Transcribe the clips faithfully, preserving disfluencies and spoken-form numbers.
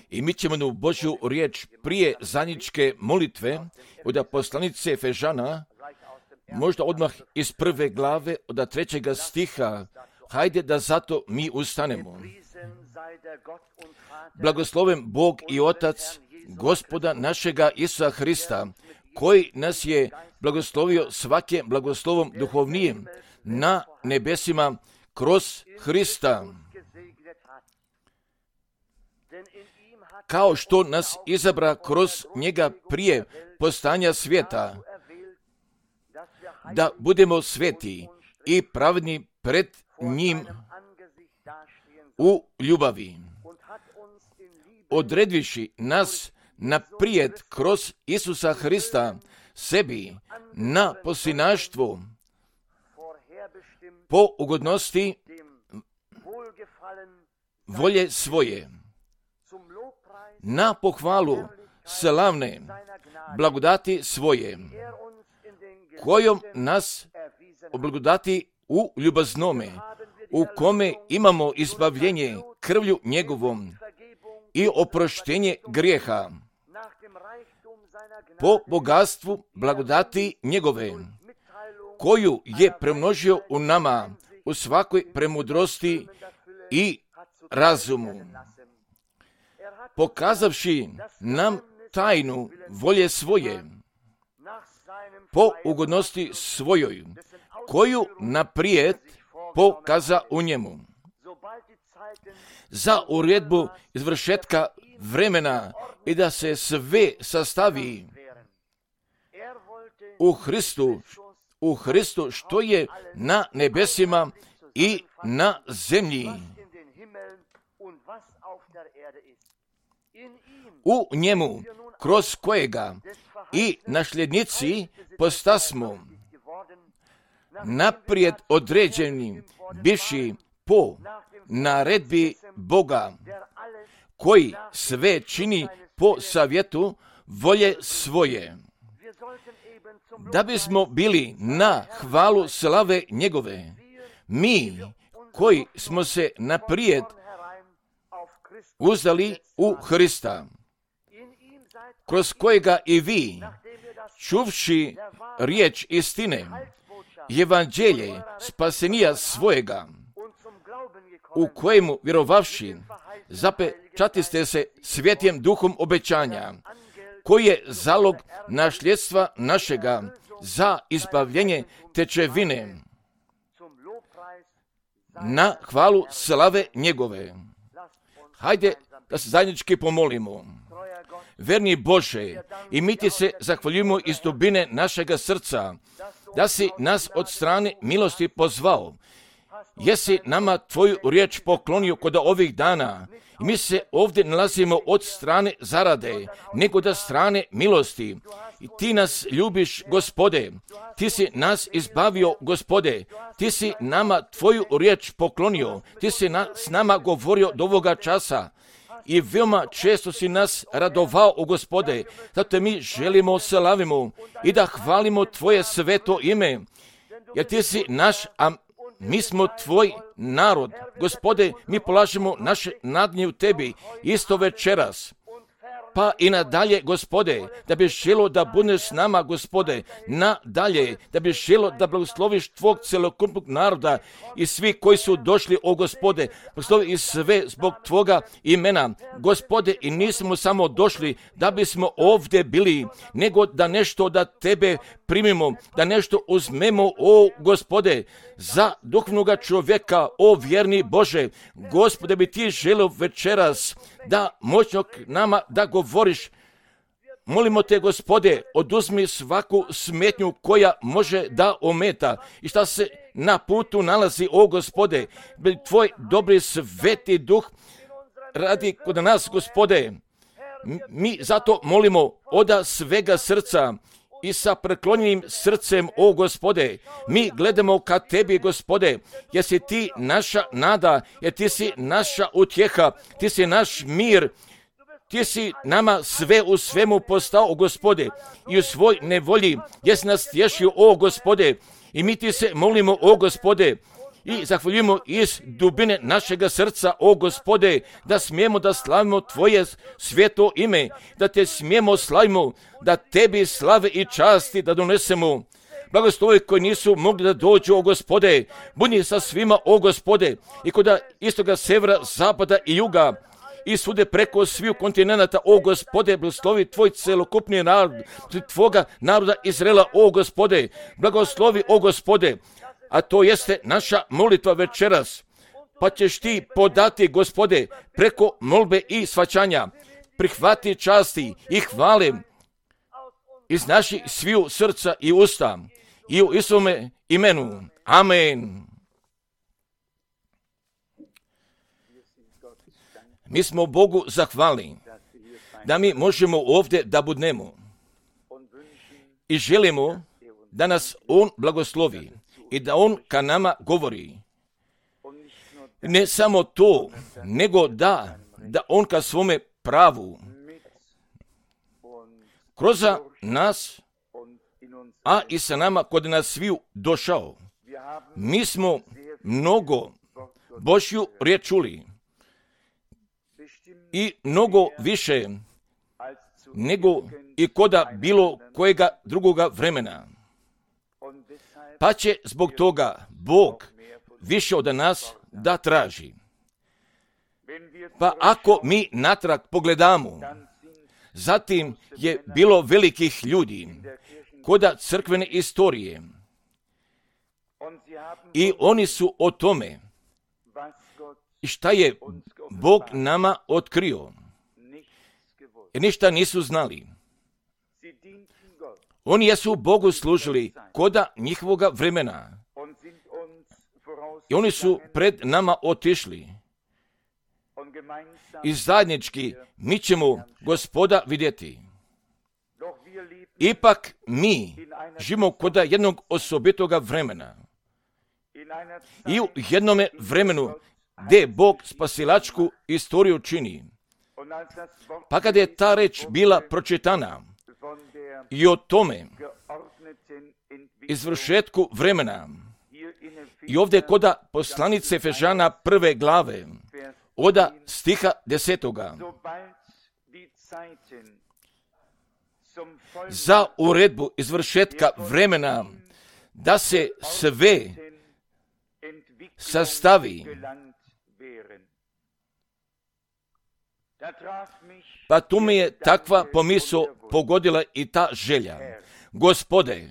I mi ćemo u Božju riječ prije zajedničke molitve od poslanice Efežana, možda odmah iz prve glave od trećega stiha, hajde da zato mi ustanemo. Blagosloven Bog i Otac Gospoda našega Isusa Hrista, koji nas je blagoslovio svake blagoslovom duhovnijem na nebesima kroz Hrista. Kao što nas izabra kroz njega prije postanja svijeta, da budemo sveti i pravedni pred njim u ljubavi, odredviši nas naprijed kroz Isusa Hrista sebi na posljednaštvo po ugodnosti volje svoje, na pohvalu slavne blagodati svoje, kojom nas oblagodati u ljubaznome, u kome imamo izbavljenje krvlju njegovom i oproštenje grijeha, po bogatstvu blagodati njegove, koju je premnožio u nama u svakoj premudrosti i razumu, pokazavši nam tajnu volje svoje, po ugodnosti svojoj, koju naprijed pokaza u njemu, za uredbu izvršetka vremena i da se sve sastavi u Hristu, u Hristu što je na nebesima i na zemlji. U njemu, kroz kojega i nasljednici postasmo naprijed određeni, bivši po naredbi Boga, koji sve čini po savjetu volje svoje, da bismo bili na hvalu slave njegove, mi koji smo se naprijed uzdali u Hrista, kroz kojega i vi, čuvši riječ istine, evanđelje spasenija svojega, u kojemu vjerovavši, zapečatiste se svjetjem duhom obećanja, koji je zalog nasljedstva našega za izbavljenje tečevine, na hvalu slave njegove. Hajde da se zajednički pomolimo. Verni Bože, i mi ti se zahvaljujemo iz dubine našega srca, da si nas od strane milosti pozvao. Jesi nama tvoju riječ poklonio kod ovih dana. I mi se ovdje nalazimo od strane zarade, nego da strane milosti. I ti nas ljubiš, Gospode. Ti si nas izbavio, Gospode. Ti si nama tvoju riječ poklonio. Ti si na, s nama govorio do ovoga časa. I veoma često si nas radovao, o Gospode. Zato mi želimo, slavimo i da hvalimo tvoje sveto ime. Jer ti si naš, a mi smo tvoj narod. Gospode, mi polažemo naše nadnje u tebi isto večeras. Pa i nadalje, Gospode, da bi želo da budeš s nama, Gospode, nadalje, da bi želo da blagosloviš tvog celokupnog naroda i svi koji su došli, o Gospode, blagoslovi i sve zbog tvoga imena. Gospode, i nismo samo došli da bismo ovdje bili, nego da nešto da tebe primimo, da nešto uzmemo, o Gospode, za duhovnoga čovjeka, o vjerni Bože. Gospode, bi ti želio večeras da moćno nama da govoriš. Molimo te, Gospode, oduzmi svaku smetnju koja može da ometa i šta se na putu nalazi, o Gospode. Tvoj dobri sveti duh radi kod nas, Gospode. Mi zato molimo oda svega srca i sa preklonjenim srcem, o Gospode, mi gledamo ka tebi, Gospode, jer si ti naša nada, jer ti si naša utjeha, ti si naš mir, ti si nama sve u svemu postao, o Gospode, i u svoj nevolji jesi nas tješio, o Gospode, i mi ti se molimo, o Gospode, i zahvaljujemo iz dubine našega srca, o Gospode, da smijemo da slavimo Tvoje sveto ime, da Te smijemo slavimo, da Tebi slave i časti da donesemo. Blagoslovi koji nisu mogli da dođu, o Gospode, budi sa svima, o Gospode, i koda istoga, severa, zapada i juga, i svude preko sviju kontinenta, o Gospode, blagoslovi Tvoj celokupni narod, Tvoga naroda Izraela, o Gospode, blagoslovi, o Gospode, a to jeste naša molitva večeras, pa ćeš Ti podati, Gospode, preko molbe i svaćanja, prihvati časti i hvale iz naših sviju srca i usta, i u Isuvome imenu. Amen. Mi smo Bogu zahvalni da mi možemo ovdje da budnemo i želimo da nas On blagoslovi i da On ka nama govori. Ne samo to, nego da, da On ka svome pravu kroz nas, a i sa nama kod nas sviju došao. Mi smo mnogo Božju riječ čuli i mnogo više nego i koda bilo kojega drugoga vremena. Pa će zbog toga Bog više od nas da traži. Pa ako mi natrag pogledamo, zatim je bilo velikih ljudi koda crkvene istorije i oni su o tome i šta je Bog nama otkrio, jer ništa nisu znali. Oni jesu Bogu služili koda njihovoga vremena i oni su pred nama otišli i zajednički mi ćemo Gospoda vidjeti. Ipak mi živimo koda jednog osobitoga vremena i u jednome vremenu gdje Bog spasilačku istoriju čini. Pa kada je ta reč bila pročitana i o tome izvršetku vremena i ovdje koda poslanice Efežana prve glave oda stiha desetoga za uredbu izvršetka vremena da se sve sastavi. Pa tu mi je takva pomisao pogodila i ta želja. Gospode,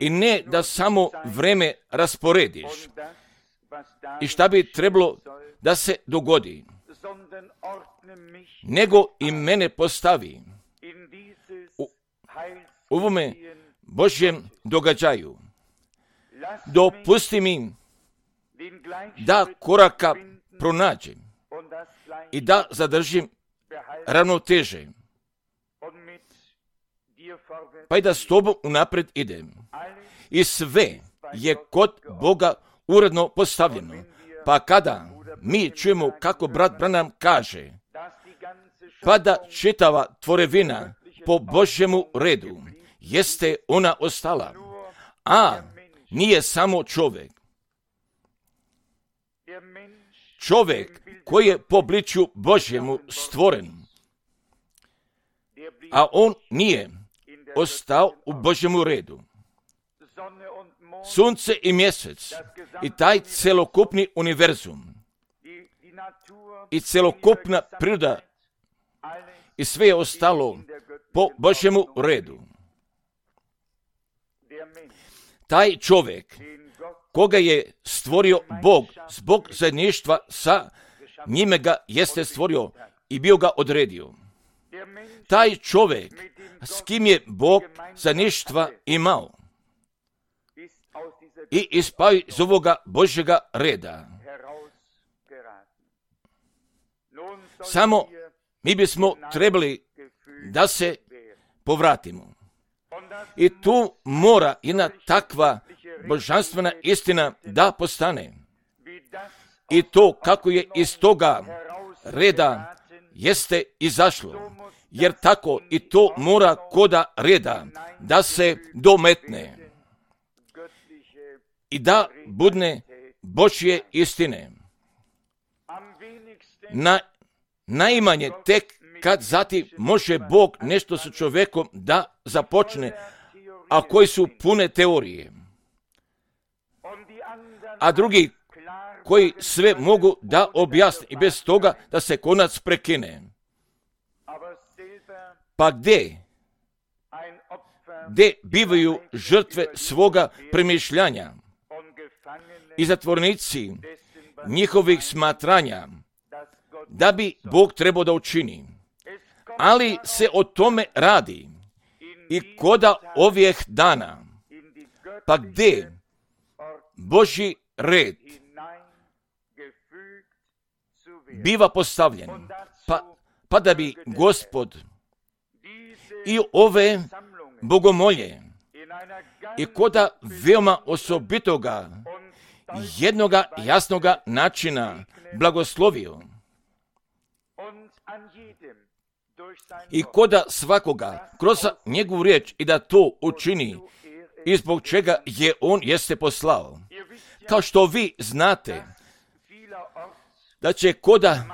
i ne da samo vreme rasporediš i šta bi trebalo da se dogodi, nego i mene postavi u ovome Božjem događaju. Dopusti mi da koraka pronađem i da zadržim ravnoteže, pa i da s tobom unapred idem. I sve je kod Boga uredno postavljeno. Pa kada mi čujemo kako brat Branham kaže, pa da čitava tvorevina po Božjemu redu jeste ona ostala, a nije samo čovjek. Čovjek koji je po obličju Božjemu stvoren, a on nije ostao u Božjemu redu. Sunce i mjesec i taj celokupni univerzum i celokupna priroda i sve je ostalo po Božjemu redu. Taj čovjek koga je stvorio Bog zbog zajedništva sa njime ga jeste stvorio i bio ga odredio. Taj čovjek s kim je Bog zajedništva imao i ispao iz ovoga Božjega reda. Samo mi bismo trebali da se povratimo. I tu mora jedna takva božanstvena istina da postane. I to kako je iz toga reda jeste izašlo. Jer tako i to mora koda reda da se dometne. I da budne Božje istine. Na, najmanje tek kad zatim može Bog nešto sa čovjekom da započne, a koji su pune teorije. A drugi koji sve mogu da objasne i bez toga da se konac prekine. Pa gdje? Gdje bivaju žrtve svoga premišljanja i zatvornici njihovih smatranja, da bi Bog trebao da učini. Ali se o tome radi i koda ovih dana. Pa gdje Božji red biva postavljen, pa, pa da bi Gospod i ove bogomolje i koda veoma osobitoga jednoga jasnoga načina blagoslovio i koda svakoga kroz njegovu riječ i da to učini i zbog čega je on jeste poslao. Kao što vi znate da će koda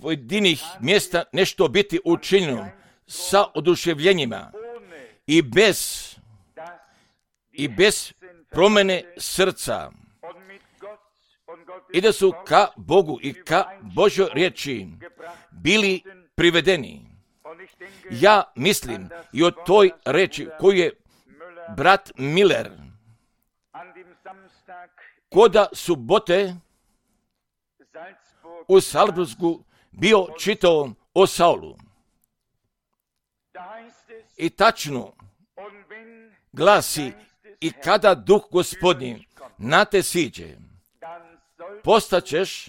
pojedinih mjesta nešto biti učinjeno sa oduševljenjima i bez i bez promjene srca i da su ka Bogu i ka Božoj riječi bili privedeni. Ja mislim i o toj reči koju je brat Miller koda subote u Salzburgu bio čitao o Saulu. I tačno glasi, i kada duh Gospodnji na te siđe, postaćeš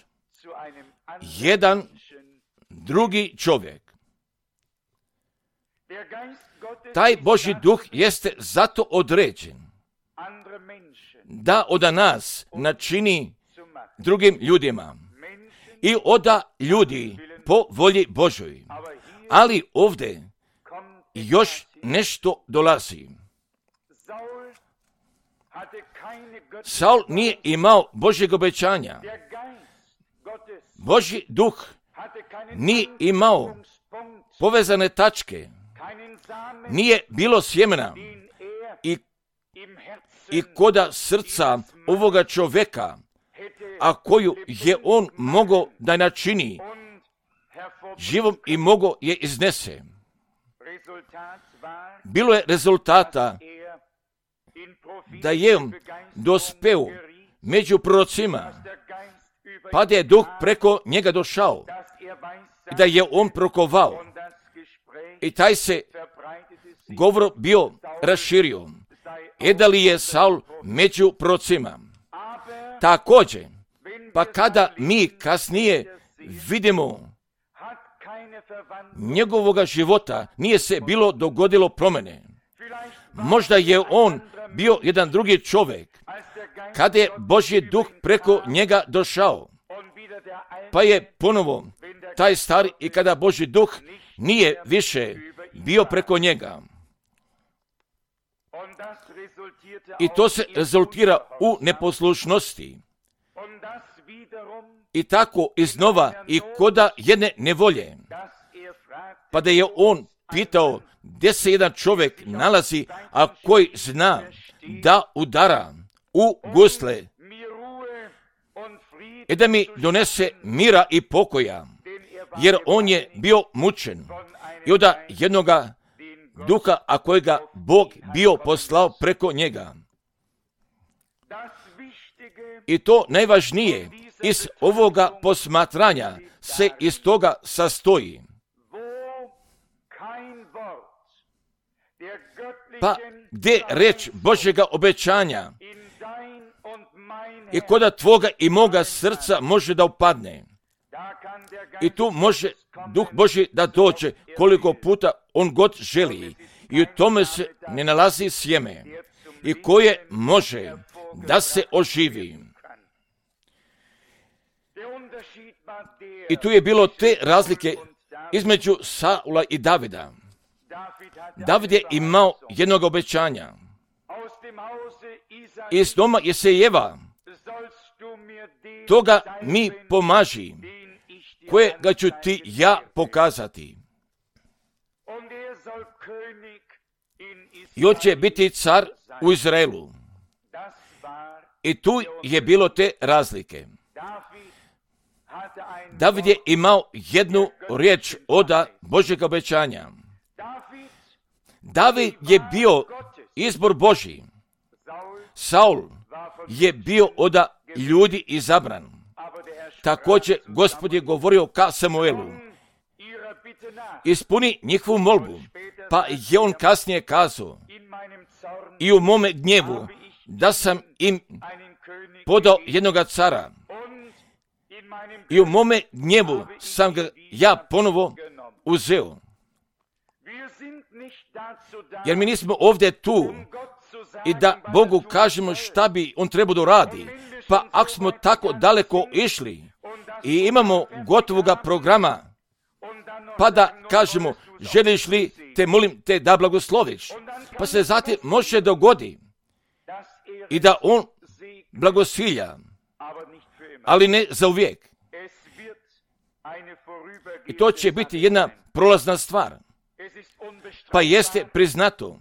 jedan drugi čovjek. Taj Božji duh jeste zato određen da od nas načini drugim ljudima i oda ljudi po volji Božoj. Ali ovdje još nešto dolazi. Saul nije imao Božjeg obećanja. Božji duh nije imao povezane tačke. Nije bilo sjemena i, i koda srca ovoga čovjeka, a koju je on mogao da načini živom i mogao je iznese. Bilo je rezultata da je on dospeo među prorocima, pa da je duh preko njega došao i da je on prokovao. I taj se govor bio raširio. E da li je Saul među prorocima? Također, pa kada mi kasnije vidimo njegovoga života, nije se bilo dogodilo promjene. Možda je on bio jedan drugi čovjek, kada je Božji duh preko njega došao, pa je ponovo taj stari i kada Božji duh nije više bio preko njega. I to se rezultira u neposlušnosti. I tako iznova i koda jedne nevolje. Pa da je on pitao gdje se jedan čovjek nalazi, a koji zna da udara u gusle i da mi donese mira i pokoja, jer on je bio mučen i od jednoga duha, a kojega Bog bio poslao preko njega. I to najvažnije iz ovoga posmatranja se iz toga sastoji. Pa gdje reč Božjega obećanja i koda tvoga i moga srca može da upadne. I tu može Duh Božji da dođe koliko puta on god želi. I u tome se ne nalazi sjeme i koje može da se oživi. I tu je bilo te razlike između Saula i Davida. David je imao jednog obećanja. Iz doma Jesejeva toga mi pomaži, kojega ću ti ja pokazati. I on će biti car u Izraelu. I tu je bilo te razlike. David je imao jednu riječ od Božjeg obećanja. David je bio izbor Božji. Saul je bio od ljudi izabran. Također Gospod je govorio ka Samuelu: ispuni njihovu molbu. Pa je on kasnije kazao: i u mome gnjevu da sam im podao jednoga cara. I u mome gnjevu sam ga ja ponovo uzeo. Jer mi nismo ovdje tu i da Bogu kažemo šta bi on trebao da radi. Pa ako smo tako daleko išli i imamo gotovoga programa, pa da kažemo: želiš li, te molim te da blagosloviš. Pa se zatim može dogodi i da on blagosilja, ali ne za uvijek. I to će biti jedna prolazna stvar. Pa jeste priznato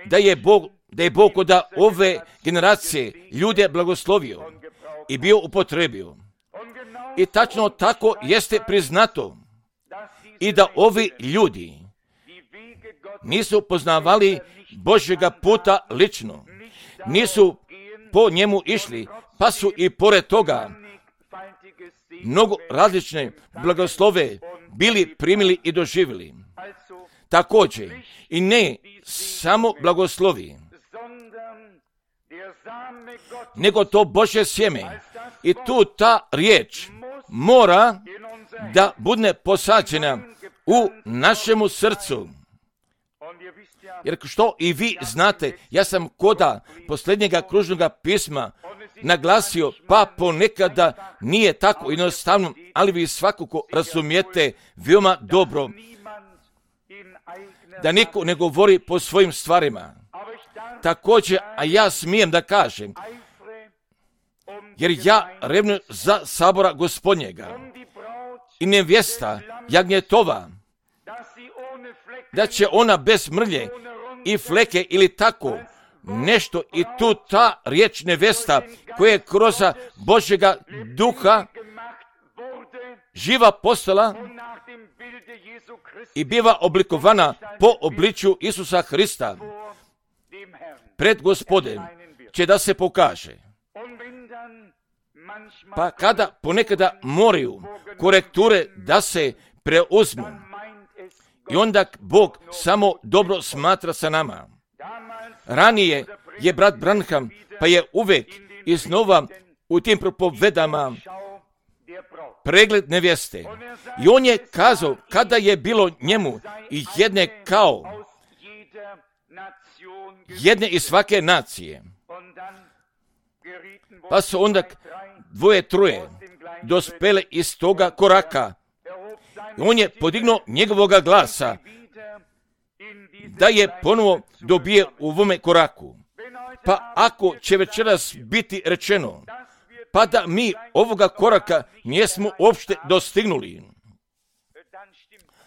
da je Bog, da je Bog od ove generacije ljude blagoslovio i bio upotrebio. I tačno tako jeste priznato i da ovi ljudi nisu poznavali Božjega puta lično, nisu po njemu išli, pa su i pored toga mnogo različne blagoslove bili primili i doživjeli. Također, i ne samo blagoslovi, nego to Božje sjeme. I tu ta riječ mora da bude posađena u našemu srcu. Jer što i vi znate, ja sam koda posljednjega kružnoga pisma naglasio, pa ponekada nije tako jednostavno, ali vi svakako razumijete veoma dobro da niko ne govori po svojim stvarima. Također, a ja smijem da kažem, jer ja revnujem za sabora Gospodnjega i nevjesta jagnjetova, da će ona bez mrlje i fleke ili tako nešto, i tu ta riječ nevjesta koja je kroz Božjega duha živa postala i biva oblikovana po obličju Isusa Hrista pred Gospodem, će da se pokaže. Pa kada ponekada moraju korekture da se preuzmu, i onda Bog samo dobro smatra sa nama. Ranije je brat Branham, pa je uvek iznova u tim propovedama pregled nevjeste. I on je kazao kada je bilo njemu i jedne kao jedne iz svake nacije. Pa su onda dvoje, troje dospele iz toga koraka. I on je podignuo njegovoga glasa da je ponovo dobije u ovome koraku. Pa ako će večeras biti rečeno, pa da mi ovoga koraka nismo uopšte dostignuli,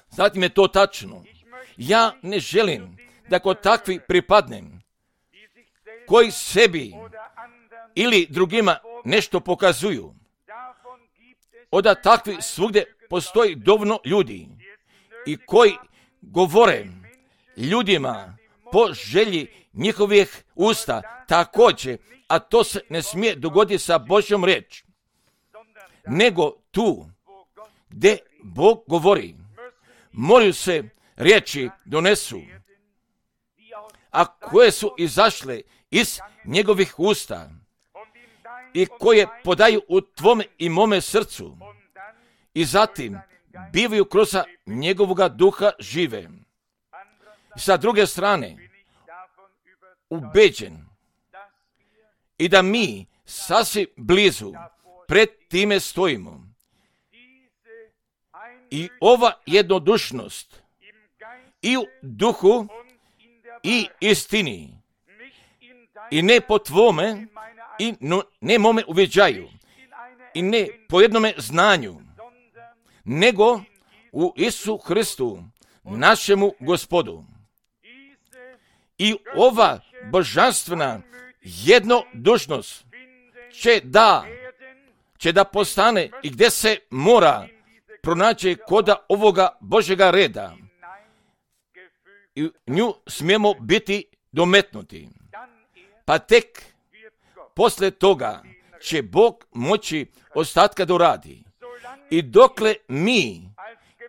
zatim je to tačno. Ja ne želim da kod takvi pripadnem, koji sebi ili drugima nešto pokazuju. Od takvi svugdje postoji dovoljno ljudi i koji govore ljudima po želji njihovih usta također, a to se ne smije dogoditi sa Božjom riječ, nego tu gdje Bog govori, moraju se riječi donesu, a koje su izašle iz njegovih usta i koje podaju u tvome i mome srcu i zatim bivaju kroz njegovoga duha žive. Sa druge strane, ubeđen i da mi sasvim blizu pred time stojimo. I ova jednodušnost i u duhu i istini i ne po tvome i no, ne mome uviđaju i ne po jednome znanju, nego u Isu Hristu, našemu Gospodu. I ova božanstvena jednodušnost će da, će da postane i gdje se mora pronaći koda ovoga Božjega reda. I nju smijemo biti dometnuti. Pa tek posle toga će Bog moći ostatka doradi. I dokle mi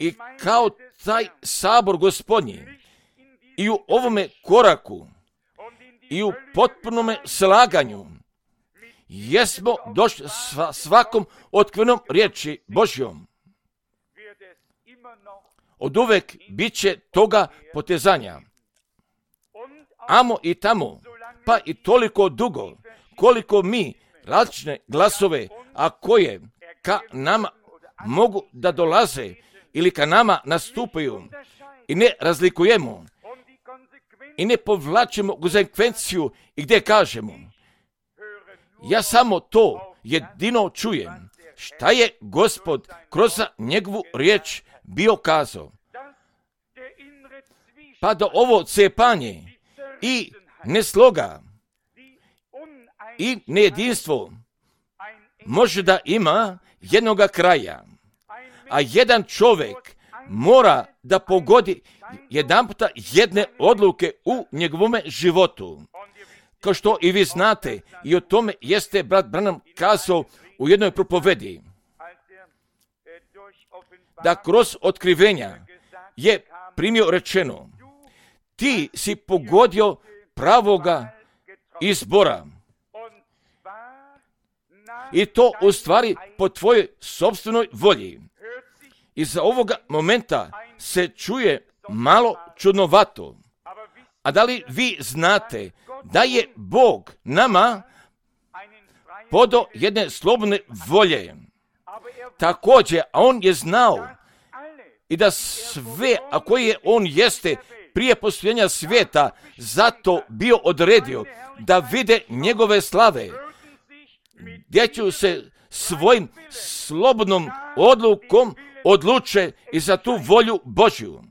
i kao taj sabor Gospodnji i u ovome koraku i u potpunome slaganju jesmo došli svakom otkrivenom riječi Božjom, od uvek bit će toga potezanja. Amo i tamo, pa i toliko dugo, koliko mi različne glasove, a koje ka nama mogu da dolaze ili ka nama nastupaju i ne razlikujemo i ne povlačimo konsekvenciju i gdje kažemo, ja samo to jedino čujem, šta je Gospod kroz njegovu riječ bio kazao. Pa da ovo cepanje i nesloga i nejedinstvo može da ima jednoga kraja, a jedan čovjek mora da pogodi jedanputa jedne odluke u njegovome životu. Kao što i vi znate, i o tome jeste brat Branham kazao u jednoj propovedi, da kroz otkrivenja je primio rečeno, ti si pogodio pravoga izbora. I to u stvari po tvojoj sopstvenoj volji. Iza ovoga momenta se čuje malo čudnovato. A da li vi znate da je Bog nama podao jedne slobodne volje? Također, a on je znao i da sve, a koje je on jeste prije postojanja svijeta, zato bio odredio da vide njegove slave, gdje ću se svojim slobodnom odlukom odluče i za tu volju Božju.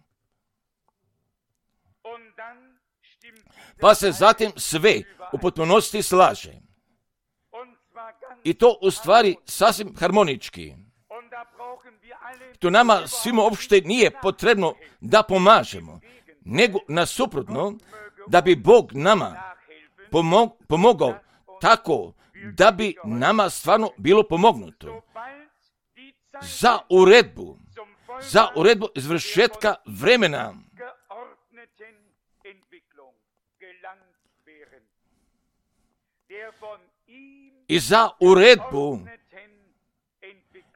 Pa se zatim sve u potpunosti slaže. I to u stvari sasvim harmonički. To nama svima uopšte nije potrebno da pomažemo, nego nasuprotno da bi Bog nama pomog, pomogao tako da bi nama stvarno bilo pomognuto. Za uredbu, za uredbu izvršetka vremena. I za uredbu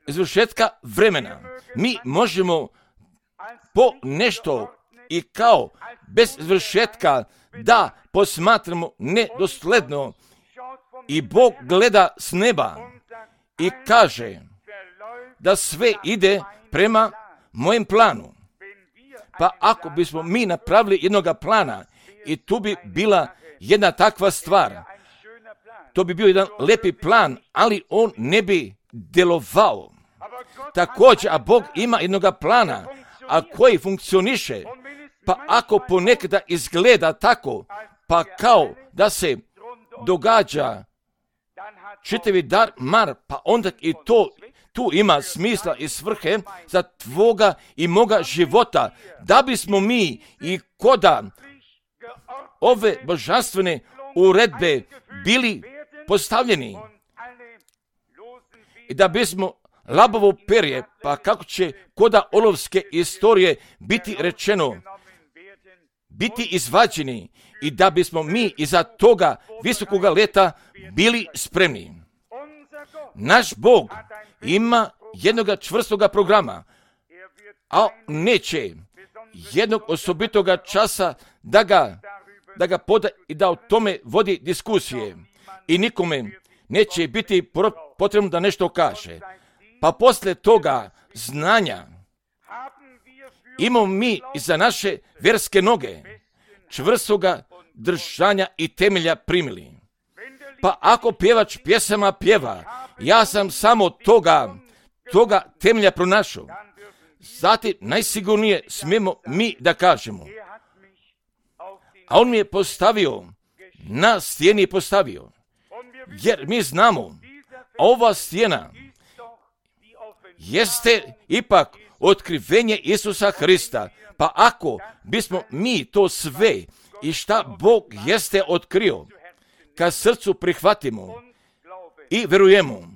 izvršetka vremena mi možemo po nešto i kao bez izvršetka da posmatramo nedosledno i Bog gleda s neba i kaže da sve ide prema mojem planu. Pa ako bismo mi napravili jednoga plana i tu bi bila jedna takva stvar, to bi bio jedan lepi plan, ali on ne bi djelovao. Također, a Bog ima jednoga plana, a koji funkcioniše, pa ako ponekada izgleda tako, pa kao da se događa čitavi dar mar, pa onda i to tu ima smisla i svrhe za tvoga i moga života, da bismo mi i koda ove božanstvene uredbe bili postavljeni i da bismo labovo perje, pa kako će koda olovske istorije biti rečeno, biti izvađeni i da bismo mi iza toga visokoga leta bili spremni. Naš Bog ima jednoga čvrstoga programa, a neće jednog osobitoga časa da ga, da ga poda i da o tome vodi diskusije i nikome neće biti potrebno da nešto kaže. Pa posle toga znanja imamo mi i za naše vjerske noge čvrstoga držanja i temelja primili. Pa ako pjevač pjesama pjeva, ja sam samo toga, toga temelja pronašao, zatim najsigurnije smijemo mi da kažemo, a on mi je postavio, na stijeni je postavio, jer mi znamo, ova stijena jeste ipak otkrivenje Isusa Hrista. Pa ako bismo mi to sve i šta Bog jeste otkrio, ka srcu prihvatimo i verujemo,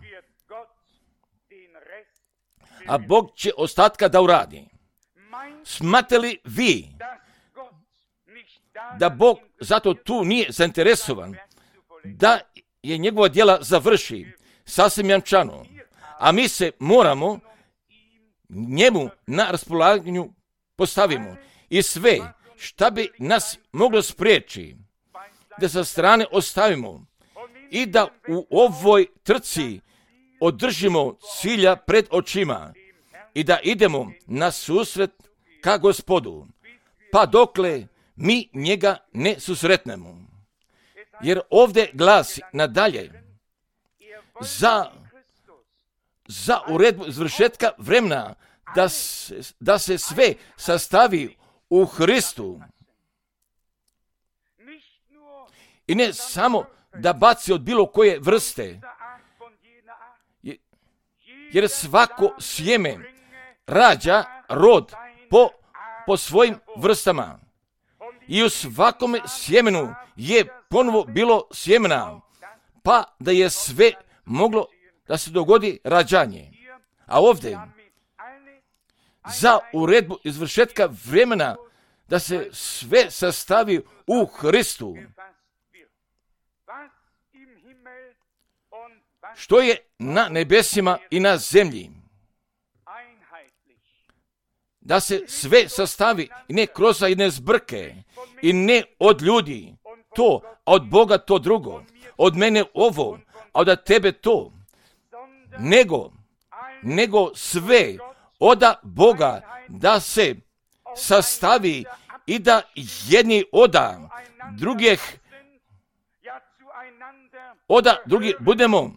a Bog će ostatka da uradi. Smatrate li vi da Bog zato tu nije zainteresovan da je njegova djela završi sasvim jamčano, a mi se moramo njemu na raspolaganju postavimo i sve šta bi nas moglo spriječi da sa strane ostavimo i da u ovoj trci održimo cilja pred očima i da idemo na susret ka Gospodu, pa dokle mi njega ne susretnemo. Jer ovdje glasi nadalje za, za uredbu izvršetka vremena da se, da se sve sastavi u Hristu. I ne samo da baci od bilo koje vrste, jer svako sjeme rađa rod po, po svojim vrstama. I u svakome sjemenu je ponovo bilo sjemena, pa da je sve moglo da se dogodi rađanje. A ovdje, za uredbu izvršetka vremena, da se sve sastavi u Hristu. Što je na nebesima i na zemlji. Da se sve sastavi i ne kroz jedne zbrke i ne od ljudi to, a od Boga to drugo, od mene ovo, a od tebe to, nego, nego sve oda Boga da se sastavi i da jedni oda drugih, oda drugi budemo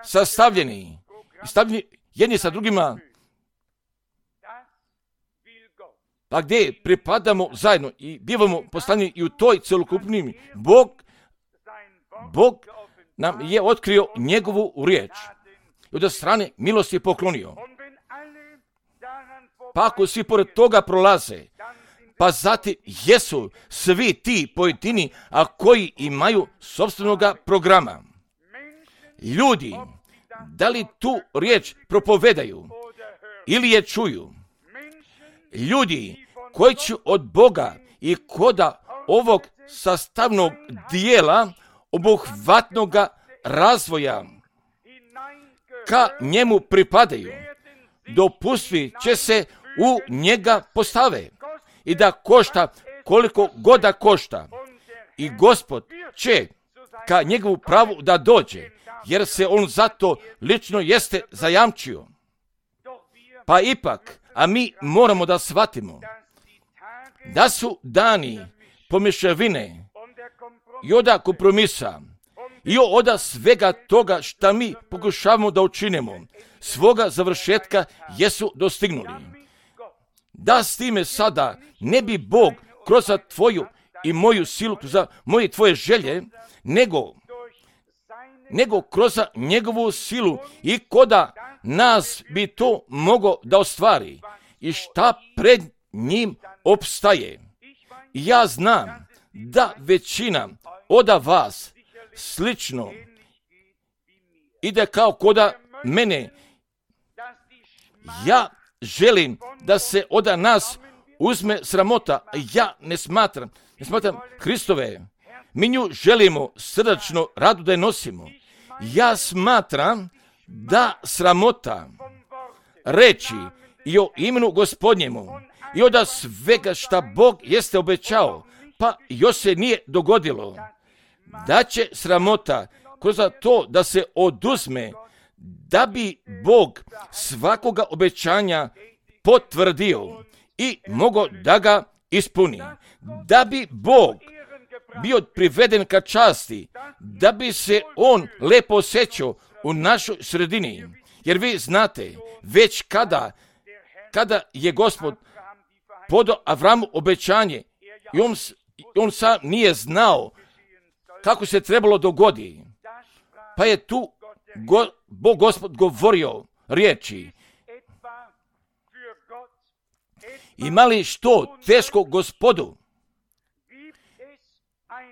sastavljeni, stavljeni jedni sa drugima, pa gdje pripadamo zajedno i bivamo poslani i u toj celokupnim, Bog, Bog nam je otkrio njegovu riječ i od strane milosti je poklonio. Pa ako svi pored toga prolaze, pa zatim jesu svi ti pojedini, a koji imaju sopstvenoga programa. Ljudi, da li tu riječ propovedaju ili je čuju? Ljudi koji će od Boga i koda ovog sastavnog dijela obuhvatnoga razvoja ka njemu pripadaju, dopusti će se u njega postave i da košta koliko god da košta. I Gospod će ka njegovu pravu da dođe, jer se on zato lično jeste zajamčio. Pa ipak, a mi moramo da shvatimo da su dani pomješavine i oda kompromisa i oda svega toga šta mi pokušavamo da učinimo, svoga završetka jesu dostignuli. Da s time sada ne bi Bog kroz tvoju i moju silu, za moje tvoje želje, nego, nego kroz njegovu silu i koda nas bi to mogo da ostvari i šta pred njim opstaje. I ja znam da većina oda vas slično ide kao koda mene. Ja želim da se oda nas uzme sramota. Ja ne smatram, ne smatram Hristove. Mi nju želimo srdačno radu da je nosimo. Ja smatram da sramota reći i o imenu Gospodnjemu i od svega šta Bog jeste obećao, pa još se nije dogodilo, da će sramota kroz to da se oduzme, da bi Bog svakoga obećanja potvrdio i mogao da ga ispuni. Da bi Bog bio priveden ka časti, da bi se on lepo osjećao u našoj sredini. Jer vi znate, već kada, kada je Gospod podao Avramu obećanje, i on, on sam nije znao kako se trebalo dogodi, pa je tu go, Bog Gospod govorio riječi: ima li što teško Gospodu?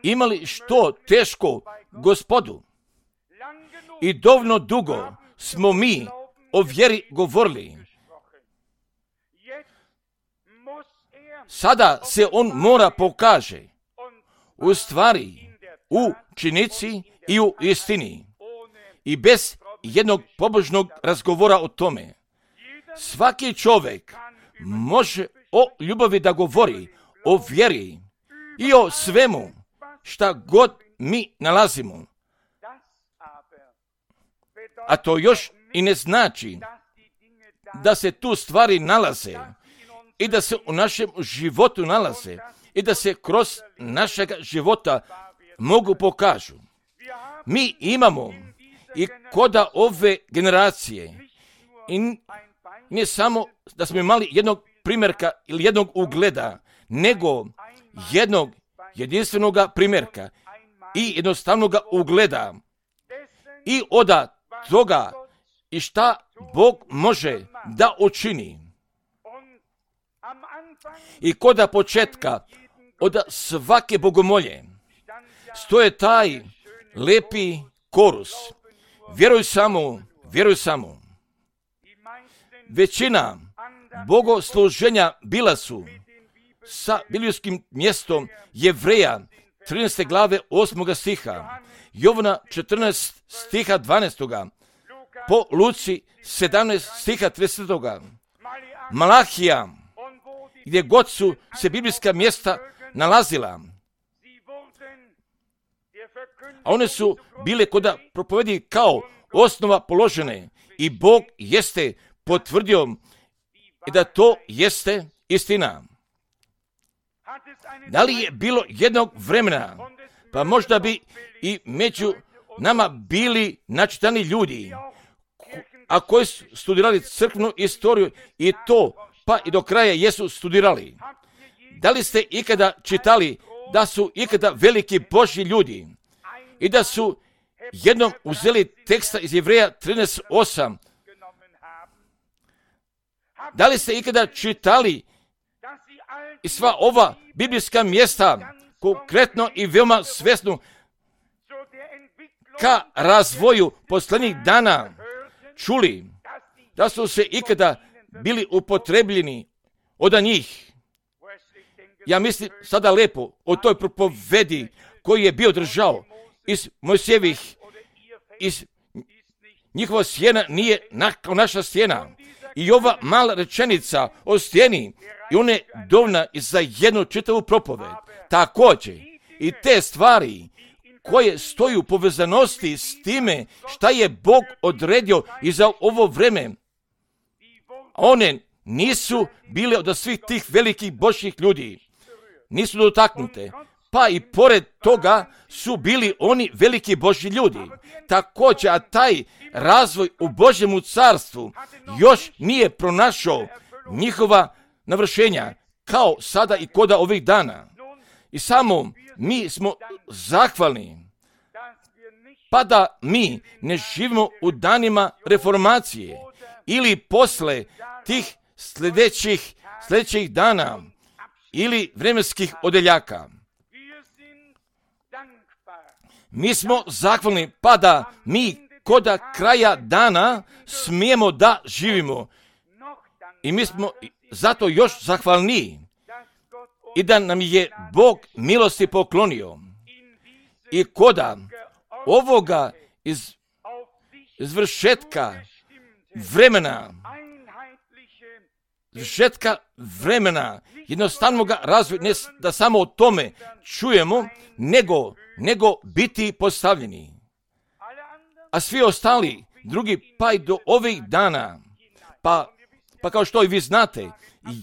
Ima li što teško Gospodu? I dovoljno dugo smo mi o vjeri govorili. Sada se on mora pokaže u stvari, u činici i u istini. I bez jednog pobožnog razgovora o tome. Svaki čovjek može o ljubavi da govori, o vjeri i o svemu šta god mi nalazimo. A to još i ne znači da se tu stvari nalaze i da se u našem životu nalaze i da se kroz našeg života mogu pokažu. Mi imamo i koda ove generacije i ne samo da smo imali jednog primjerka ili jednog ugleda, nego jednog jedinstvenog primjerka i jednostavnog ugleda i od toga i šta Bog može da učini. I koda početka od svake bogomolje stoje taj lepi korus: vjeruj samo, vjeruj samo. Većina bogosluženja bila su sa biblijskim mjestom Jevreja trinaeste glave osmog stiha, Jovana četrnaest stiha dvanaestog, po Luci sedamnaest stiha tridesetog, Malahija, gdje god su se biblijska mjesta nalazila. A one su bile koda propovedi kao osnova položene i Bog jeste potvrdio da to jeste istina. Da li je bilo jednog vremena, pa možda bi i među nama bili načitani ljudi, a koji su studirali crkvenu istoriju i to, pa i do kraja jesu studirali. Da li ste ikada čitali da su ikada veliki Božji ljudi i da su jednom uzeli teksta iz Jevreja trinaest osam? Da li ste ikada čitali i sva ova biblijska mjesta konkretno i veoma svjesno ka razvoju posljednjih dana čuli, da su se ikada bili upotrebljeni od njih? Ja mislim sada lepo o toj propovedi koji je bio držao iz Mojsijevih, iz njihova sjena nije kao naša sjena. I ova mala rečenica o stijeni, i ona je dovoljna za jednu čitavu propoved. Također i te stvari koje stoju u povezanosti s time šta je Bog odredio i za ovo vreme, one nisu bile od svih tih velikih Božjih ljudi. Nisu dotaknute. Pa i pored toga su bili oni veliki Božji ljudi. Također, a taj razvoj u Božjemu carstvu još nije pronašao njihova navršenja, kao sada i koda ovih dana. I samo mi smo zahvalni, pa da mi ne živimo u danima reformacije ili posle tih sljedećih, sljedećih dana ili vremenskih odeljaka. Mi smo zahvalni, pa da mi koda kraja dana smijemo da živimo. I mi smo zato još zahvalni i da nam je Bog milosti poklonio. I koda ovoga iz izvršetka vremena, izvršetka vremena, jednostavnog razvoja, ne da samo o tome čujemo, nego, nego biti postavljeni. A svi ostali, drugi, pa i do ovih dana, pa, pa kao što i vi znate,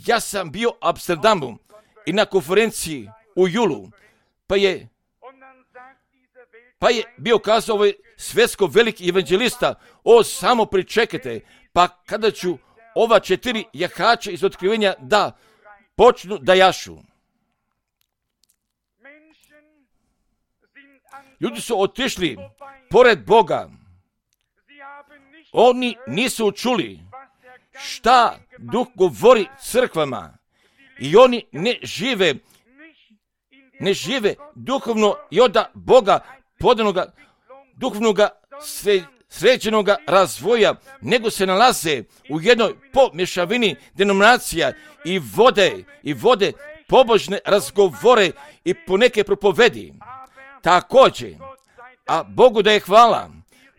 ja sam bio u Amsterdamu i na konferenciji u julu, pa je Pa je bio kazao ovaj svjetsko veliki evanđelista, o, samo pričekajte, pa kada ću ova četiri jahača iz otkrivenja da počnu da jašu. Ljudi su otišli pored Boga. Oni nisu čuli šta Duh govori crkvama i oni ne žive, ne žive duhovno i od Boga podanoga duhovnoga sre, sređenoga razvoja, nego se nalaze u jednoj pomješavini denominacija i vode, i vode pobožne razgovore i poneke propovedi. Također, a Bogu da je hvala,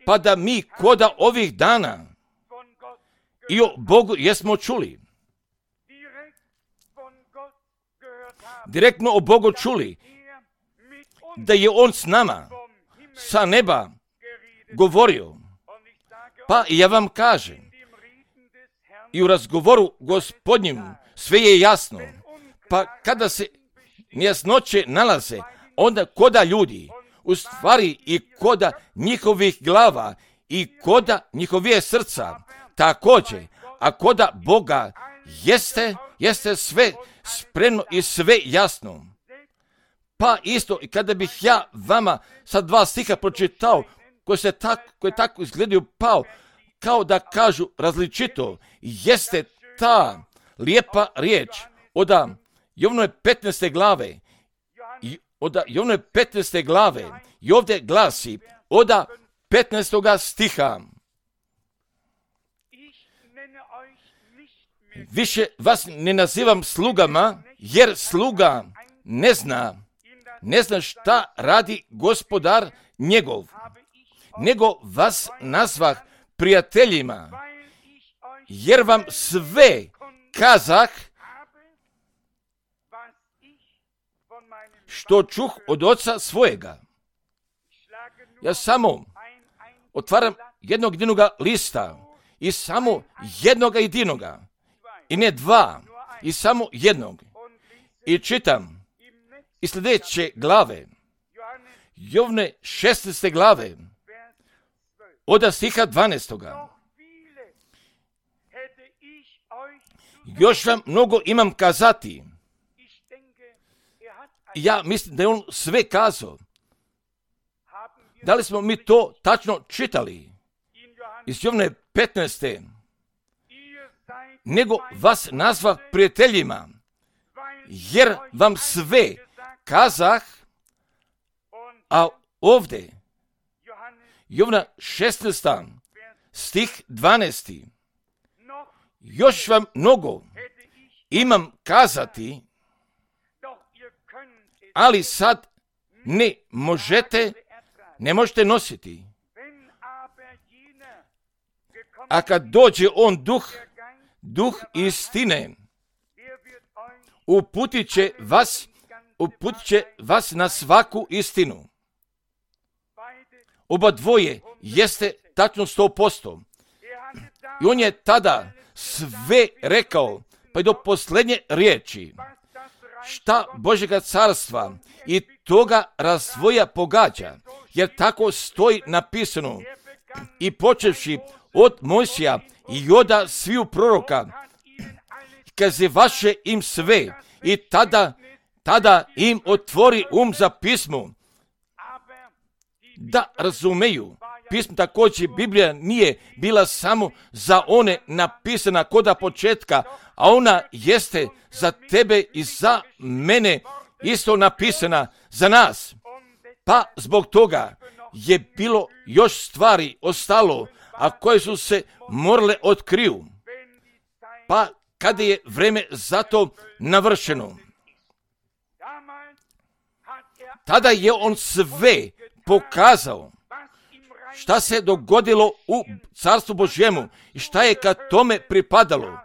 pa da mi koda ovih dana i o Bogu jesmo čuli. Direktno o Bogu čuli, da je On s nama, sa neba, govorio. Pa ja vam kažem, i u razgovoru Gospodnjim sve je jasno. Pa kada se nejasnoće nalaze, onda koda ljudi, u stvari i koda njihovih glava i koda njihovije srca, također, a koda Boga jeste, jeste sve spremno i sve jasno. Pa isto, i kada bih ja vama sad dva stiha pročitao, koji se tako, koji tako izgledaju pao, kao da kažu različito, jeste ta lijepa riječ od Jovnove petnaeste glave, od Jovnove petnaeste glave, i ovdje glasi od petnaestoga stiha. Više vas ne nazivam slugama, jer sluga ne zna, ne zna šta radi gospodar njegov, nego vas nazvah prijateljima, jer vam sve kazah što čuh od oca svojega. Ja samo otvaram jednog jedinoga lista i samo jednog jedinoga, i ne dva, i samo jednog. I čitam iz sljedeće glave, Jovne šesnaeste glave, od stiha dvanaestoga. Još vam mnogo imam kazati. Ja mislim da je on sve kazao. Da li smo mi to tačno čitali? Iz Jovne petnaeste. Nego vas nazva prijateljima, jer vam sve kazah, a ovdje Jovna šesnaesta stih dvanaesti. Još vam mnogo imam kazati, ali sad ne možete, ne možete nositi. A kad dođe on duh, duh istine, uputit će vas, uputit će vas na svaku istinu. Oba dvoje jeste tačno sto posto. I on je tada sve rekao, pa i do posljednje riječi, šta Božjega carstva i toga razvoja pogađa, jer tako stoji napisano, i počevši od Mojsija i od sviju proroka, kaze vaše im sve, i tada, tada im otvori um za pismo, da razumeju. Pismo također, Biblija nije bila samo za one napisana koda početka, a ona jeste za tebe i za mene isto napisana za nas. Pa zbog toga je bilo još stvari ostalo, a koje su se morale otkriju. Pa kada je vreme za to navršeno, tada je on sve pokazao šta se dogodilo u Carstvu Božjemu i šta je ka tome pripadalo.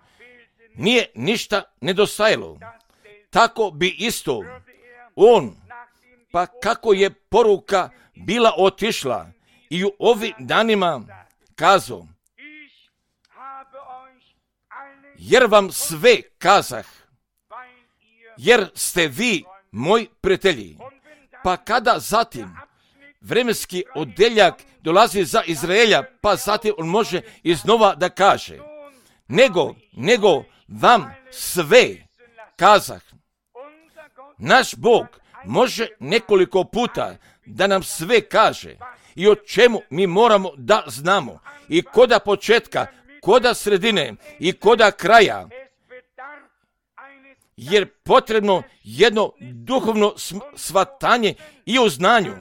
Nije ništa nedostajalo. Tako bi isto on, pa kako je poruka bila otišla, i u ovim danima kazao, jer vam sve kazah, jer ste vi moji prijatelji. Pa kada zatim vremenski odeljak dolazi za Izraelja, pa zatim on može iznova da kaže, nego, nego vam sve kazah. Naš Bog može nekoliko puta da nam sve kaže i o čemu mi moramo da znamo i koda početka, koda sredine i koda kraja, jer potrebno jedno duhovno shvatanje i u znanju,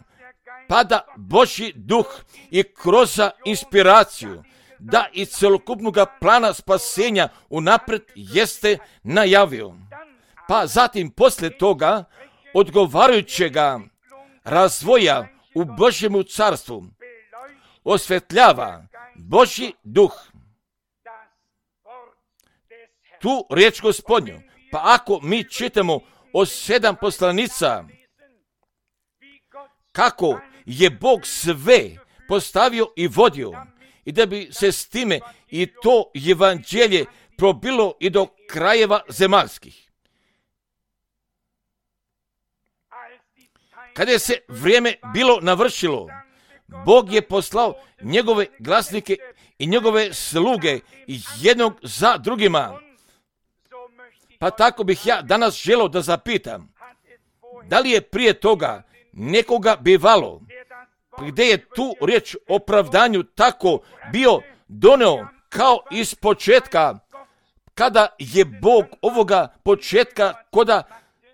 pa da Božji duh i kroz inspiraciju, da i celokupnog plana spasenja unapred jeste najavio. Pa zatim poslije toga odgovarajućega razvoja u Božjemu carstvu osvetljava Božji duh tu riječ Gospodnju. Pa ako mi čitamo o sedam poslanica, kako je Bog sve postavio i vodio, i da bi se s time i to evanđelje probilo i do krajeva zemaljskih. Kada je se vrijeme bilo navršilo, Bog je poslao njegove glasnike i njegove sluge jednog za drugima. Pa tako bih ja danas želio da zapitam, da li je prije toga nekoga bivalo, gdje je tu riječ o opravdanju tako bio doneo kao iz početka, kada je Bog ovoga početka koda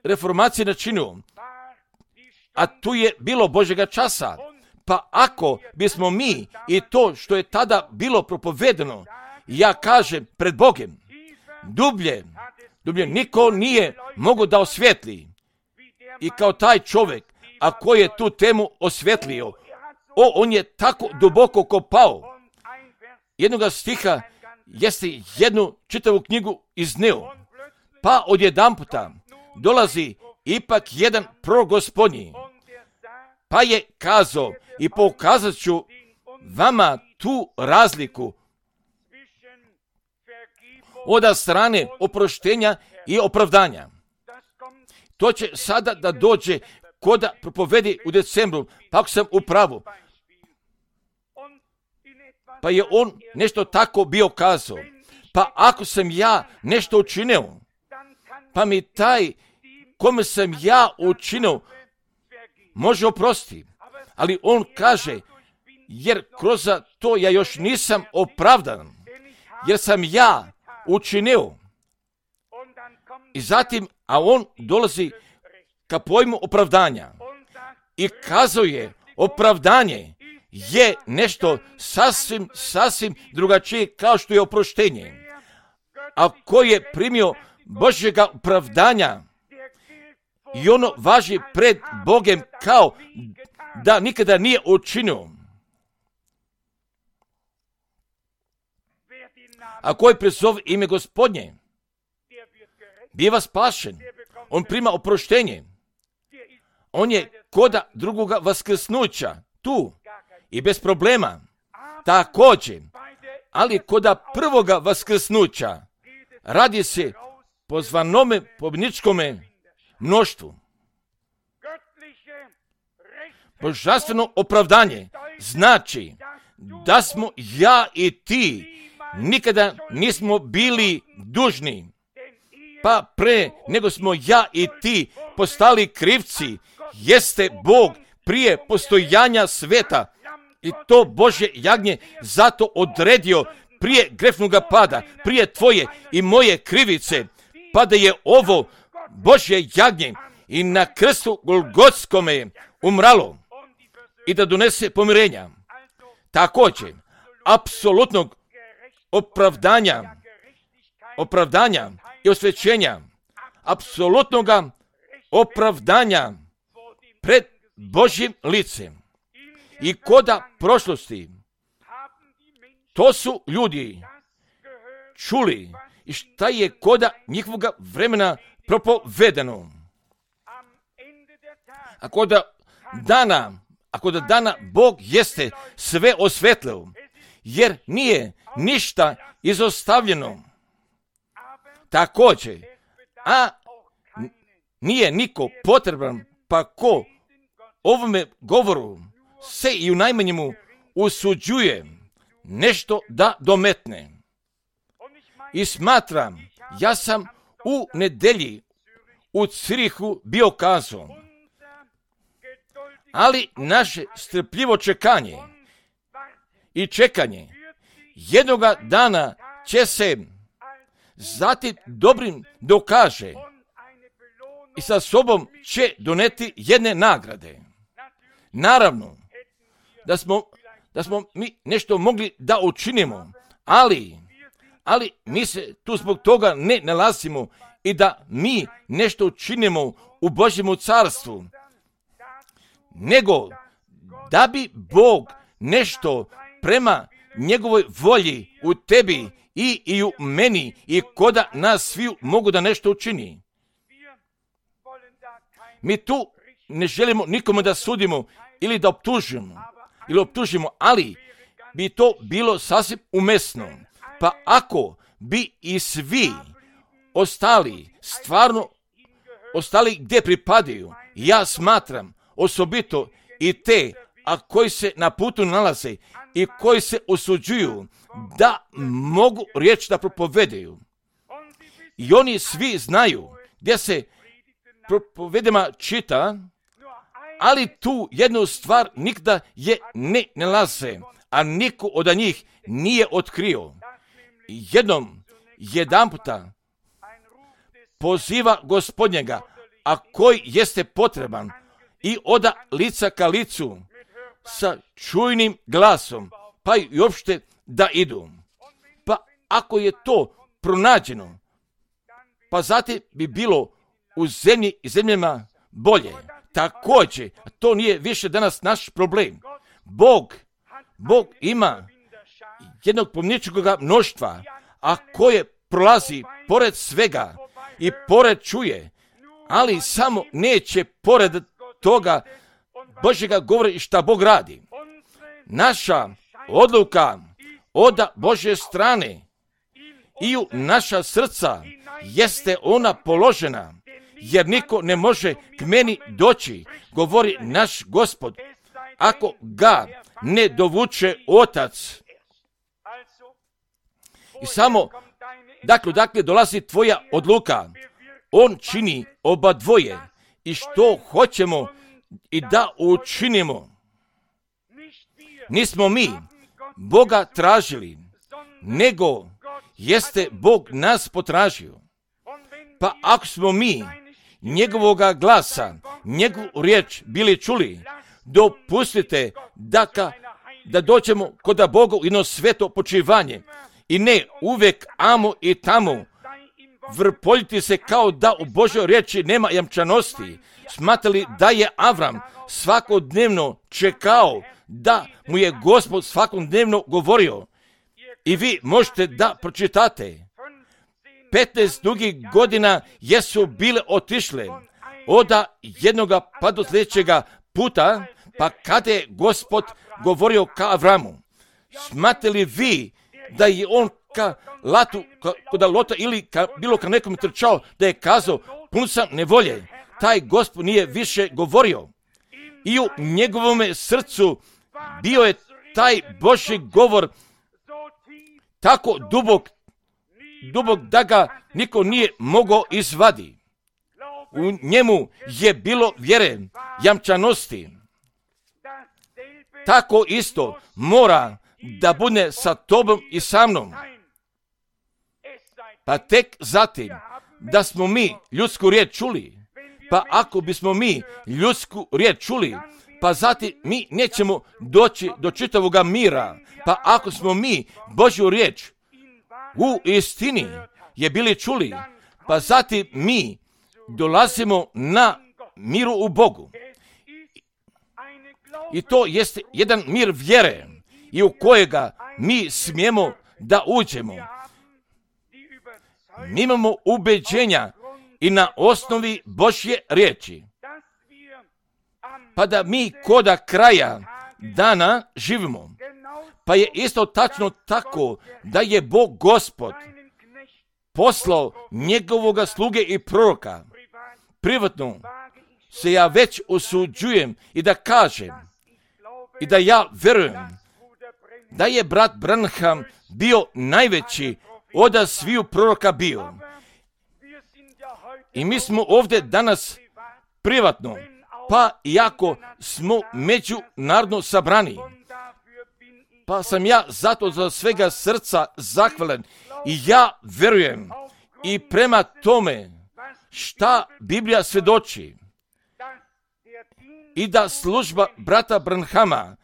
reformacije načinio, a tu je bilo Božjega časa. Pa ako bismo mi i to što je tada bilo propovedeno, ja kažem pred Bogem, dublje, dublje niko nije mogao da osvijetli. I kao taj čovjek, a koji je tu temu osvjetlio, o, on je tako duboko kopao. Jednoga stiha jeste jednu čitavu knjigu izneo. Pa odjedanputa dolazi ipak jedan prorok Gospodnji, pa je kazao i pokazat ću vama tu razliku od strane oproštenja i opravdanja. To će sada da dođe koda propovedi u decembru, pa ako sam u pravu. Pa je on nešto tako bio kazao. Pa ako sam ja nešto učinio, pa mi taj kome sam ja učinio može oprostiti. Ali on kaže, jer kroz to ja još nisam opravdan, jer sam ja učinio. I zatim, a on dolazi ka pojmu opravdanja i kazuje, opravdanje je nešto sasvim, sasvim drugačije kao što je oproštenje. A ko je primio Božjega opravdanja i ono važi pred Bogem kao da nikada nije učinio. A koji prezove ime Gospodnje, biva spašen. On prima oproštenje. On je koda drugoga vaskrsnuća tu i bez problema. Također, ali koda prvoga vaskrsnuća radi se po zvanome pobjedničkome mnoštvu. Božanstveno opravdanje znači da smo ja i ti nikada nismo bili dužni, pa pre nego smo ja i ti postali krivci, jeste Bog prije postojanja sveta i to Božje jagnje zato odredio prije grefnoga pada, prije tvoje i moje krivice, pa da je ovo Božje jagnje i na krstu Golgotskome umralo i da donese pomirenja. Također, apsolutnog opravdanja, opravdanja i osvećenja, apsolutnoga opravdanja pred Božjim licem i koda prošlosti. To su ljudi čuli i šta je koda njihovoga vremena propovedeno. Ako da dana, ako da dana Bog jeste sve osvetlio, jer nije ništa izostavljeno. Također, a nije niko potreban, pa ko ovome govoru se i u najmanjemu usuđuje nešto da dometne. I smatram, ja sam u nedelji u Cirihu bio kazao, ali naše strpljivo čekanje i čekanje jednoga dana će se zatim dobrim dokaže i sa sobom će doneti jedne nagrade. Naravno, da smo, da smo mi nešto mogli da učinimo, ali, ali mi se tu zbog toga ne nalazimo i da mi nešto učinimo u Božjemu carstvu, nego da bi Bog nešto prema njegovoj volji u tebi i, i u meni i koda nas svi mogu da nešto učini. Mi tu ne želimo nikome da sudimo ili da optužimo, ili optužimo, ali bi to bilo sasvim umesno. Pa ako bi i svi ostali, stvarno ostali gdje pripadaju, ja smatram osobito i te, a koji se na putu nalaze i koji se osuđuju da mogu riječ da propovedaju. I oni svi znaju gdje se propovedama čita, ali tu jednu stvar nikda je ne nalaze, a niko od njih nije otkrio. Jednom, jedan puta poziva Gospodnjega, a koji jeste potreban, i oda lica ka licu sa čujnim glasom, pa i uopšte da idu. Pa ako je to pronađeno, pa zatim bi bilo u zemlji i zemljama bolje. Također, to nije više danas naš problem. Bog, Bog ima jednog pomničkoga mnoštva, a koje prolazi pored svega i pored čuje, ali samo neće pored toga Božjega govora i šta Bog radi. Naša odluka od Božje strane i u naša srca jeste ona položena, jer niko ne može k meni doći, govori naš Gospod, ako ga ne dovuče Otac. I samo, dakle, dakle dolazi tvoja odluka, on čini oba dvoje i što hoćemo i da učinimo. Nismo mi Boga tražili, nego jeste Bog nas potražio. Pa ako smo mi njegovoga glasa, njegovu riječ bili čuli, dopustite da, ka, da dođemo kod Boga u jedno sveto počivanje i ne uvek amo i tamo vrpoljiti se kao da u Božoj riječi nema jamčanosti. Smatrali da je Avram svakodnevno čekao da mu je Gospod svakodnevno govorio. I vi možete da pročitate. petnaest dugih godina jesu bile otišle od jednoga pa do sljedećega puta, pa kada je Gospod govorio ka Avramu. Smatrali vi da je on ka Latu, ka, kod Lota ili ka, bilo ka nekom trčao, da je kazao, pun sam nevolje. Taj Gospod nije više govorio. I u njegovome srcu bio je taj Božji govor tako dubok, dubok da ga niko nije mogao izvadi. U njemu je bilo vjere, jamčanosti. Tako isto mora da bude sa tobom i sa mnom. Pa tek zatim da smo mi ljudsku riječ čuli, pa ako bismo mi ljudsku riječ čuli, pa zatim mi nećemo doći do čitavoga mira. Pa ako smo mi Božju riječ u istini je bili čuli, pa zatim mi dolazimo na miru u Bogu. I to jeste jedan mir vjere i u kojega mi smijemo da uđemo. Mi imamo ubeđenja i na osnovi Božje riječi. Pa da mi koda kraja dana živimo. Pa je isto tačno tako da je Bog Gospod poslao njegovoga sluge i proroka. Privatno se ja već osuđujem i da kažem, i da ja verujem da je brat Branham bio najveći od sviju proroka bio. I mi smo ovdje danas privatno, pa iako smo međunarodno sabrani, pa sam ja zato za svega srca zahvalan i ja verujem i prema tome šta Biblija svjedoči i da služba brata Branhama,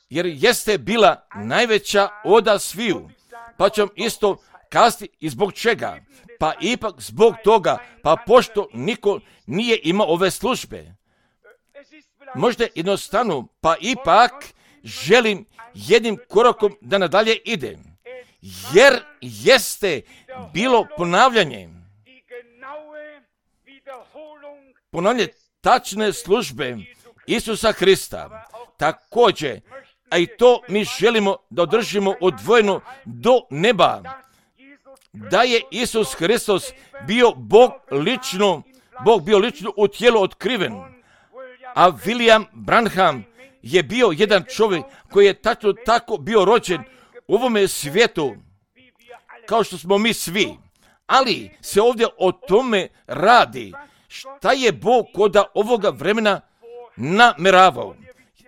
jer jeste bila najveća od sviju, pa ću isto kazati i zbog čega, pa ipak zbog toga, pa pošto niko nije imao ove službe. Možda jednostavno, pa ipak želim jednim korakom da nadalje idem, jer jeste bilo ponavljanje, ponavljanje tačne službe Isusa Hrista. Također, a i to mi želimo da održimo odvojeno do neba, da je Isus Hristos bio Bog lično, Bog bio lično u tijelu otkriven, a William Branham je bio jedan čovjek koji je tačno tako bio rođen u ovome svijetu, kao što smo mi svi. Ali se ovdje o tome radi, šta je Bog kod ovoga vremena nameravao.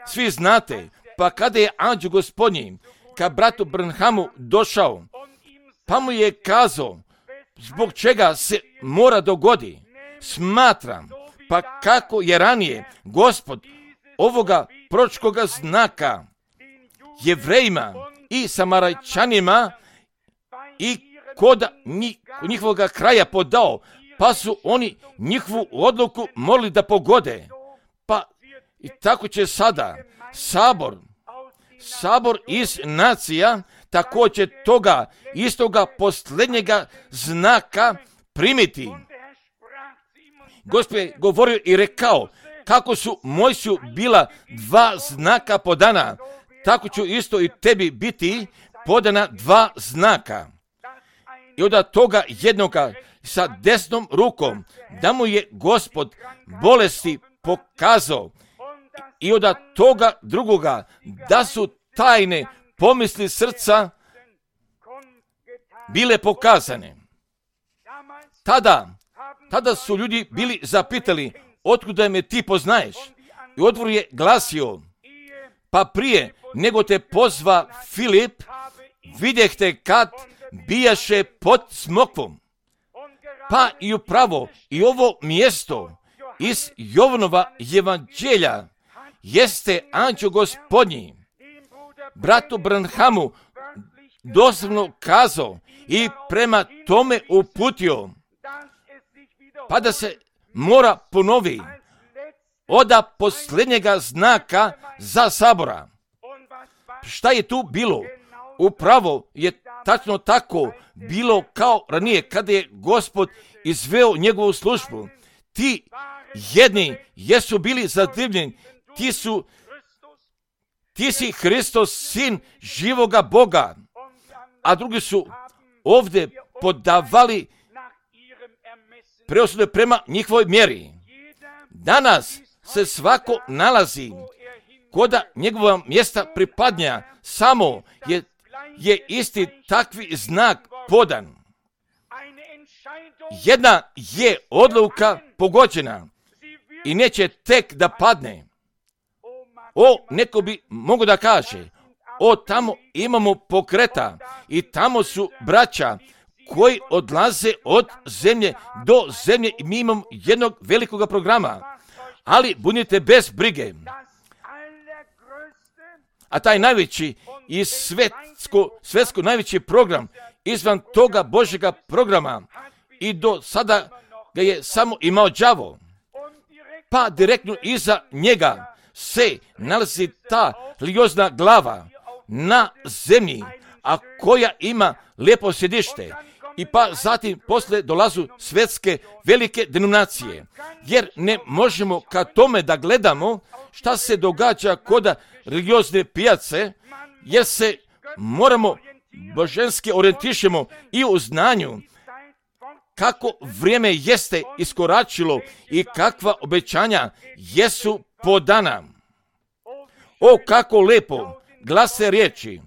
Svi znate, pa kada je anđeo gospodnji ka bratu Branhamu došao, pa mu je kazao zbog čega se mora dogodi. Smatram, pa kako je ranije Gospod ovoga proročkoga znaka Jevrejima i Samarajčanima i kod njihovog kraja podao, pa su oni njihovu odluku morali da pogode. Pa i tako će sada sabor, sabor iz nacija također toga istoga posljednjega znaka primiti. Gospod je govorio i rekao, kako su Mojsiju bila dva znaka podana, tako ću isto i tebi biti podana dva znaka. I od toga jednoga sa desnom rukom, da mu je Gospod bolesti pokazao, i od toga drugoga, da su tajne pomisli srca bile pokazane. Tada, tada su ljudi bili zapitali, otkuda me ti poznaješ? I odgovor je glasio, pa prije nego te pozva Filip, vidjeh te kad bijaše pod smokvom. Pa i upravo i ovo mjesto iz Jovanova evanđelja jeste anđeo gospodnji bratu Branhamu doslovno kazao i prema tome uputio, pa da se mora ponovi oda posljednjega znaka za sabora. Šta je tu bilo? Upravo je tačno tako bilo kao ranije kada je Gospod izveo njegovu službu. Ti jedni jesu bili zadivljeni, ti su ti si Hristos, sin živoga Boga, a drugi su ovdje podavali preosude prema njihovoj mjeri. Danas se svako nalazi kod njegova mjesta pripadnja, samo je, je isti takvi znak podan. Jedna je odluka pogođena i neće tek da padne. O, neko bi mogo da kaže, o, tamo imamo pokreta i tamo su braća koji odlaze od zemlje do zemlje i mi imamo jednog velikog programa. Ali budite bez brige. A taj najveći i svetsko, svetsko najveći program izvan toga Božjega programa i do sada ga je samo imao đavo. Pa direktno iza njega se nalazi ta religiozna glava na zemlji, a koja ima lijepo sjedište. I pa zatim poslije dolazu svjetske velike denominacije. Jer ne možemo ka tome da gledamo šta se događa kod religiozne pijace, jer se moramo božanski orijentišemo i u znanju kako vrijeme jeste iskoračilo i kakva obećanja jesu podana. O, kako lepo glase riječi,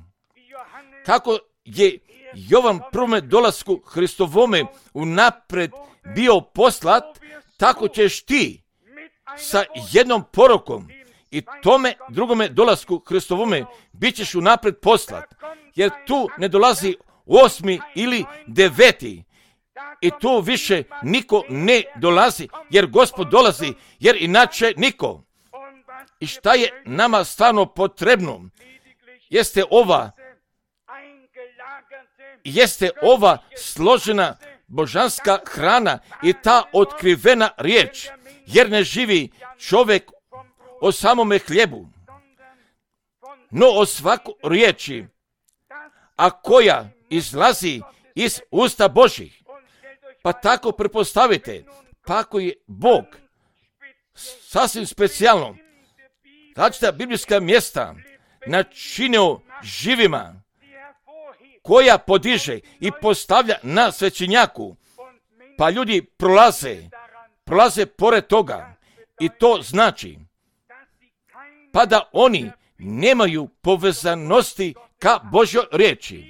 kako je Jovan prvome dolasku Hristovome unapred bio poslat, tako ćeš ti sa jednom porukom i tome drugome dolasku Hristovome bit ćeš unapred poslat, jer tu ne dolazi osmi ili deveti i tu više niko ne dolazi, jer Gospod dolazi, jer inače niko. I šta je nama stvarno potrebno? Jeste ova jeste ova složena božanska hrana i ta otkrivena riječ, jer ne živi čovjek o samome hljebu, no o svaku riječi, a koja izlazi iz usta Božih. Pa tako pretpostavite, pa ako je Bog sasvim specijalno različita biblijska mjesta načinio živima, koja podiže i postavlja na svećenjaku, pa ljudi prolaze, prolaze pored toga, i to znači pa da oni nemaju povezanosti ka Božjoj riječi.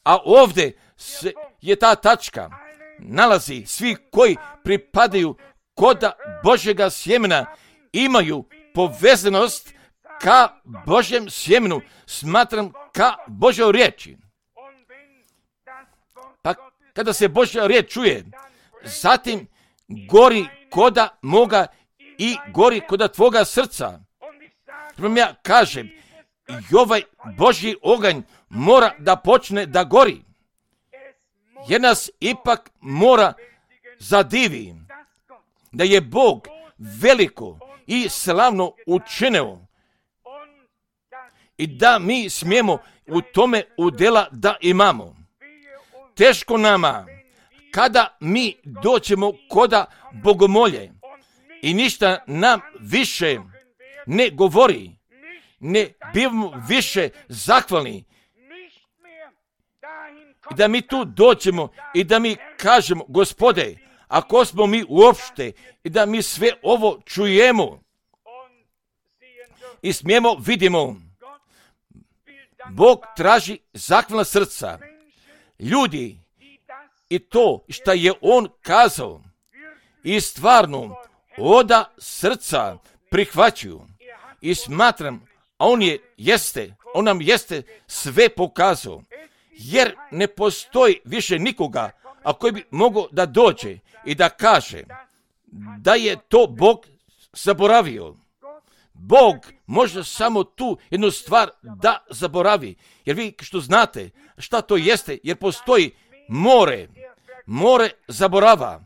A ovdje se je ta tačka, nalazi svi koji pripadaju koda Božjega sjemena, imaju povezanost ka Božjem sjemenu, smatram ka Božjoj riječi. Pa kada se Božja riječ čuje, zatim gori koda moga i gori koda tvoga srca. Prvom ja kažem, i ovaj Božji oganj mora da počne da gori, jer nas ipak mora zadivi da je Bog veliko i slavno učinio i da mi smijemo u tome udjela da imamo. Teško nama kada mi doćemo koda bogomolje i ništa nam više ne govori, ne bivamo više zahvalni, i da mi tu doćemo i da mi kažemo, Gospode, ako smo mi uopšte i da mi sve ovo čujemo i smijemo vidimo, Bog traži zahvalna srca. Ljudi i to što je On kazao i stvarno oda srca prihvaćaju i smatram, a On je jeste, On nam jeste sve pokazao, jer ne postoji više nikoga a koji bi mogao da dođe i da kaže da je to Bog zaboravio. Bog može samo tu jednu stvar da zaboravi, jer vi što znate šta to jeste, jer postoji more, more zaborava,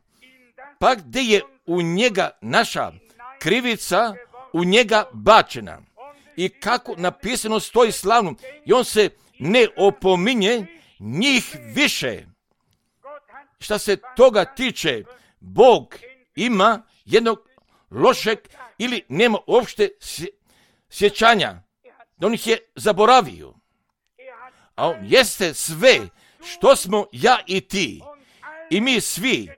pa gdje je u njega naša krivica u njega bačena. I kako napisano stoji slavno, i on se ne opominje njih više. Šta se toga tiče, Bog ima jednog lošeg ili nema uopšte sjećanja, da on ih je zaboravio. A on jeste sve što smo ja i ti i mi svi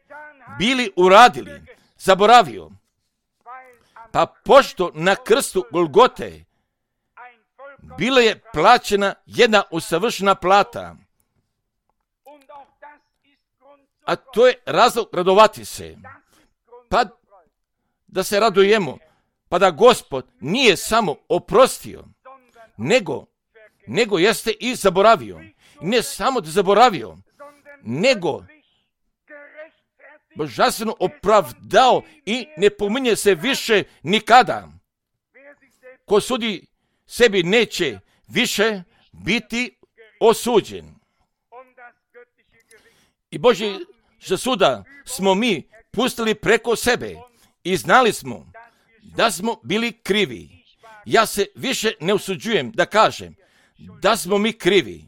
bili uradili, zaboravio. Pa pošto na krstu Golgote bila je plaćena jedna usavršena plata, a to je razlog radovati se, pa da se radujemo, pa da Gospod nije samo oprostio, nego, nego jeste i zaboravio. Ne samo da zaboravio, nego božanstveno opravdao i ne pominje se više nikada. Ko sudi sebi neće više biti osuđen. I Božji suda smo mi pustili preko sebe i znali smo da smo bili krivi. Ja se više ne usuđujem da kažem da smo mi krivi,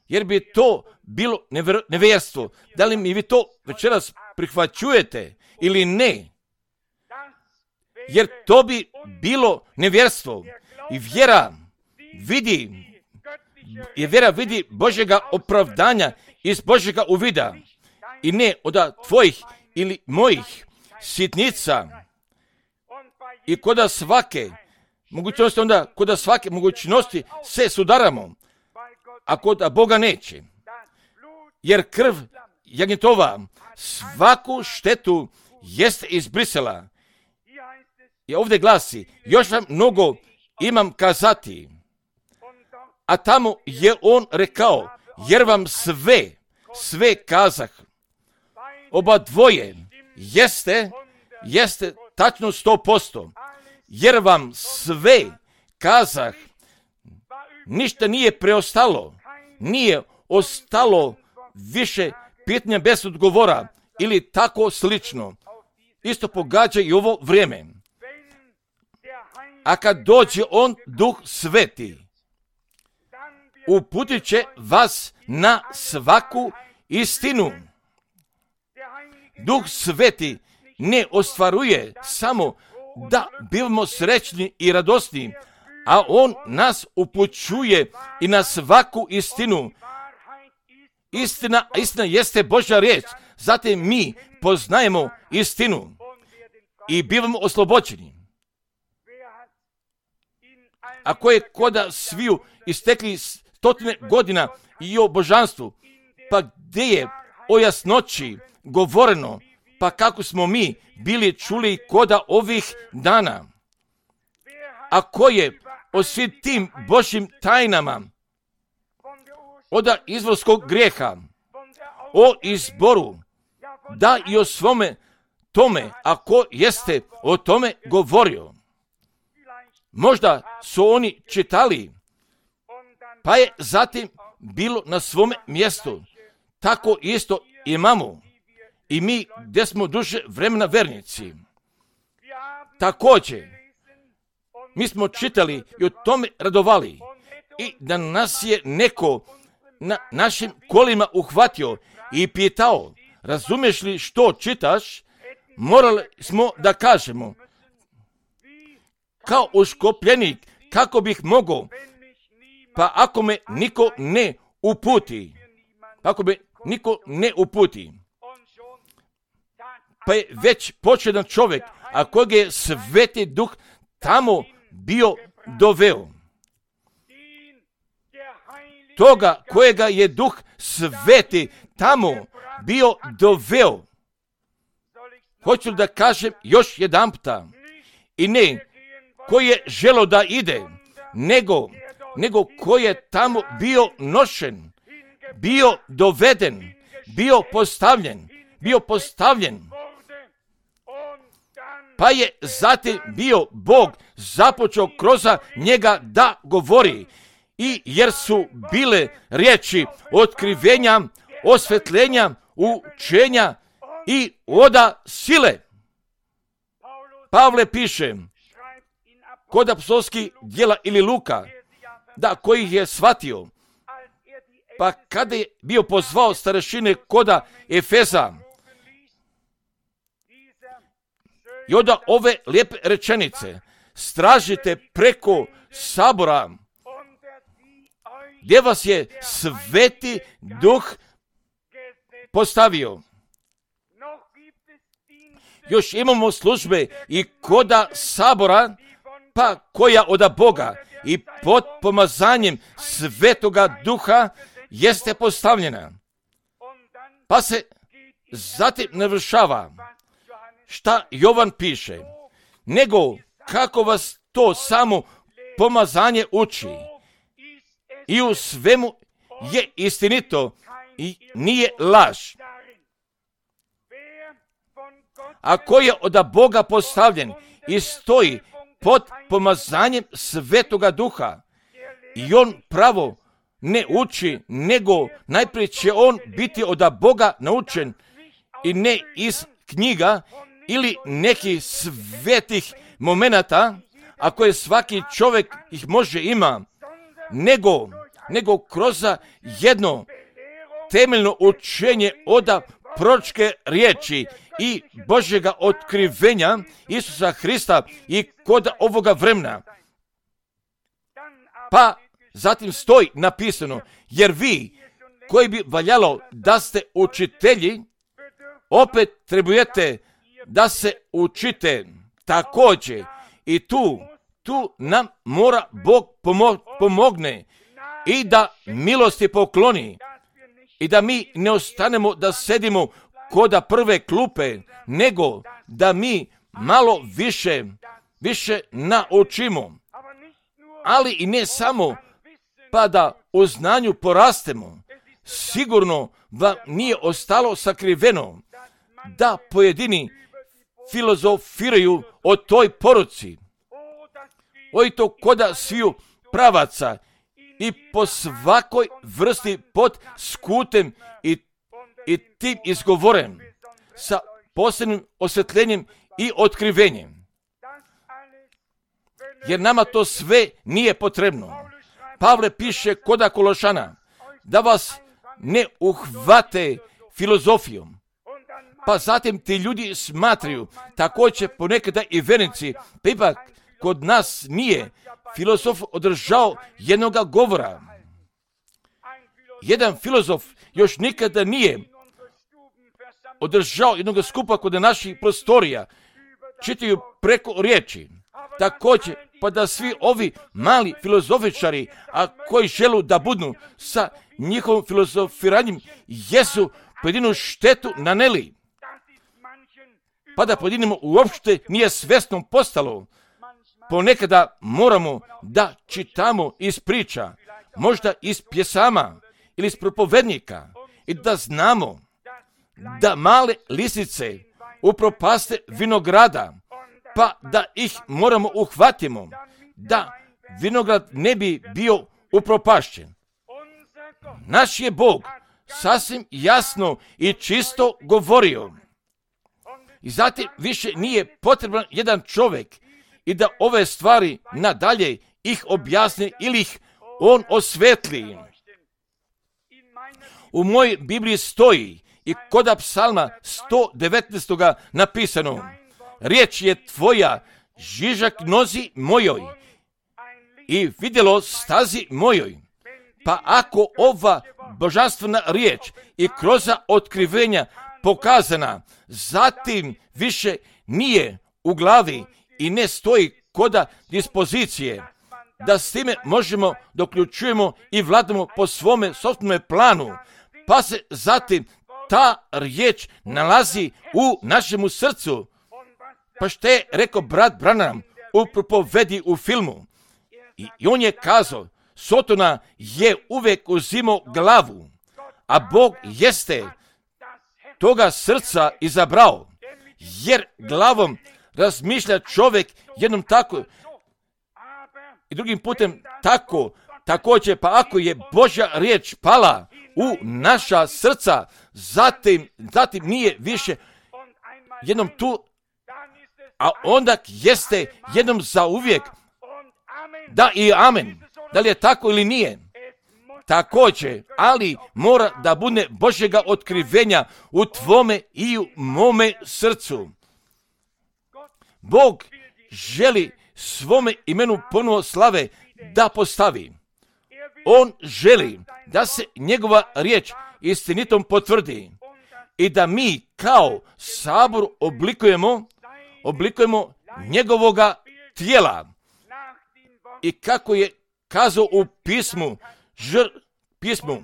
jer bi to bilo nevjer, nevjerstvo. Da li mi vi to večeras prihvaćujete ili ne? Jer to bi bilo nevjerstvo. I vjera vidi, i vjera vidi Božjega opravdanja iz Božjega uvida i ne od tvojih ili mojih sitnica. I koda svake mogućnosti onda kod svake mogućnosti se sudaramo, a kod Boga neće. Jer krv jagnjetova svaku štetu jeste izbrisala. I ovdje glasi, još vam mnogo imam kazati. A tamo je on rekao, jer vam sve, sve kazah. Oba dvoje jeste, jeste tačno sto posto. Jer vam sve kazah, ništa nije preostalo, nije ostalo više pitanja bez odgovora ili tako slično. Isto pogađa i ovo vrijeme. A kad dođe on, Duh Sveti, uputit će vas na svaku istinu. Duh Sveti ne ostvaruje samo da bivamo srećni i radosni, a on nas upućuje i na svaku istinu. Istina, istina jeste Božja riječ, zatim mi poznajemo istinu i bivamo oslobođeni. Ako je koda sviju istekli stotine godina i o božanstvu, pa gdje je o jasnoći govoreno, pa kako smo mi bili čuli koda ovih dana? A ko je o svim tim Božjim tajnama, od izvorskog grijeha, o izboru, da i o svome tome, ako jeste o tome govorio. Možda su oni čitali, pa je zatim bilo na svome mjestu. Tako isto imamo i mi gdje smo duže vremena vernici. Također, mi smo čitali i o tome radovali i da nas je neko na našim kolima uhvatio i pitao, razumiješ li što čitaš, morali smo da kažemo, kao uškopljenik, kako bih mogao, pa ako me niko ne uputi, ako me niko ne uputi, pa je već početan čovjek, a kojeg je Sveti Duh tamo bio doveo. Toga kojega je Duh Sveti tamo bio doveo. Hoću da kažem još jedan puta, i ne koji je želo da ide, nego, nego koji je tamo bio nošen, bio doveden, bio postavljen, bio postavljen. Pa je zatim bio Bog započeo kroz njega da govori. I jer su bile riječi otkrivenja, osvetljenja, učenja i oda sile. Pavle piše kod apostolskih djela ili Luka, da koji ih je shvatio, pa kada je bio pozvao starešine koda Efeza, i onda ove lijepe rečenice, stražite preko sabora, gdje vas je Sveti Duh postavio. Još imamo službe i koda sabora, pa koja od Boga i pod pomazanjem Svetoga Duha jeste postavljena. Pa se zatim navršava šta Jovan piše, nego kako vas to samo pomazanje uči. I u svemu je istinito i nije laž. A ko je od Boga postavljen i stoji pod pomazanjem Svetoga Duha, i on pravo ne uči, nego najprije će on biti od Boga naučen i ne iz knjiga ili nekih svetih momenata, a koje svaki čovjek ih može ima, nego, nego kroz jedno temeljno učenje od proročke riječi i Božjega otkrivenja Isusa Hrista i kod ovoga vremena. Pa zatim stoji napisano, jer vi koji bi valjalo da ste učitelji, opet trebujete da se učite također. I tu, tu nam mora Bog pomo- pomogne i da milosti pokloni i da mi ne ostanemo da sedimo koda prve klupe, nego da mi malo više, više naučimo, ali i ne samo pa da u znanju porastemo. Sigurno vam nije ostalo sakriveno da pojedini filozofiraju o toj poruci, o to koda sviju pravaca i po svakoj vrsti pod skutem i, i tim izgovorem sa posebnim osvetljenjem i otkrivenjem. Jer nama to sve nije potrebno. Pavle piše koda Kološana da vas ne uhvate filozofijom. Pa zatim ti ljudi smatraju, također ponekada i vernici, pa ipak kod nas nije filozof održao jednoga govora. Jedan filozof još nikada nije održao jednog skupa kod naših prostorija. Čitaju preko riječi. Također, pa da svi ovi mali filozofičari, a koji želu da budu sa njihovim filozofiranjem, jesu pojedinu štetu naneli. Pa da pojedinimo uopšte nije svjesno postalo. Ponekada moramo da čitamo iz priča, možda iz pjesama ili iz propovednika i da znamo da male lisice upropaste vinograda, pa da ih moramo uhvatimo, da vinograd ne bi bio upropašćen. Naš je Bog sasvim jasno i čisto govorio. I zatim više nije potreban jedan čovjek i da ove stvari nadalje ih objasni ili ih on osvetli. U mojoj Bibliji stoji i koda psalma sto devetnaest napisano: riječ je tvoja žižak nozi mojoj i vidjelo stazi mojoj. Pa ako ova božanstvena riječ i kroz otkrivenja pokazana, zatim više nije u glavi i ne stoji koda dispozicije, da s time možemo doključujemo i vladamo po svome sopstvenome planu, pa se zatim ta riječ nalazi u našemu srcu. Pa što je rekao brat Branham u propovedi u filmu? I, i on je kazao, Sotona je uvijek uzimao glavu, a Bog jeste toga srca izabrao, jer glavom razmišlja čovjek jednom tako i drugim putem tako. Također, pa ako je Božja riječ pala u naša srca, zatim, zatim nije više jednom tu, a onda jeste jednom za uvijek. Da i amen. Da li je tako ili nije? Također, ali mora da bude Božjega otkrivenja u tvome i u mome srcu. Bog želi svome imenu ponovo slave da postavi. On želi da se njegova riječ istinitom potvrdi i da mi kao sabor oblikujemo, oblikujemo njegovoga tijela. I kako je kazao u pismu, žr, pismu,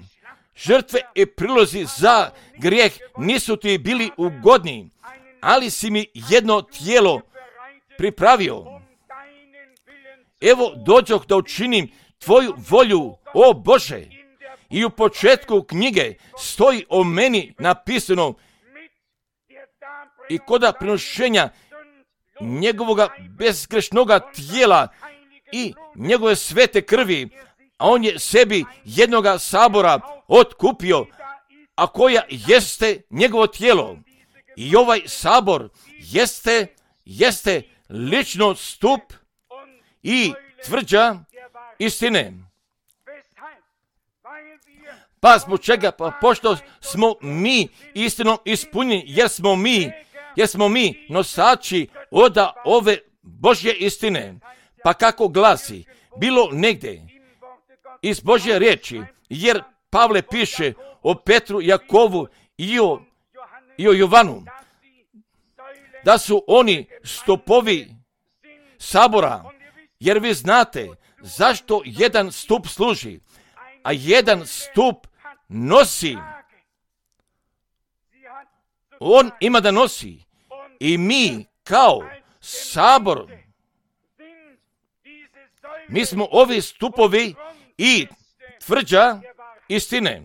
žrtve i prilozi za grijeh nisu ti bili ugodni, ali si mi jedno tijelo pripravio. Evo dođoh da učinim tvoju volju, o Bože. I u početku knjige stoji o meni napisano i koda prinošenja njegovoga bezgrešnoga tijela i njegove svete krvi, a on je sebi jednoga sabora otkupio, a koja jeste njegovo tijelo. I ovaj sabor jeste, jeste lično stup i tvrđa istine. Pa zbog čega? Pa pošto smo mi istinom ispunjeni, jer smo mi, jer smo mi nosači oda ove Božje istine. Pa kako glasi, bilo negdje iz Božje riječi, jer Pavle piše o Petru, Jakovu i o, i o Jovanu, da su oni stopovi sabora Jer vi znate zašto jedan stup služi, a jedan stup nosi. On ima da nosi. I mi kao sabor, mi smo ovi stupovi i tvrđa istine.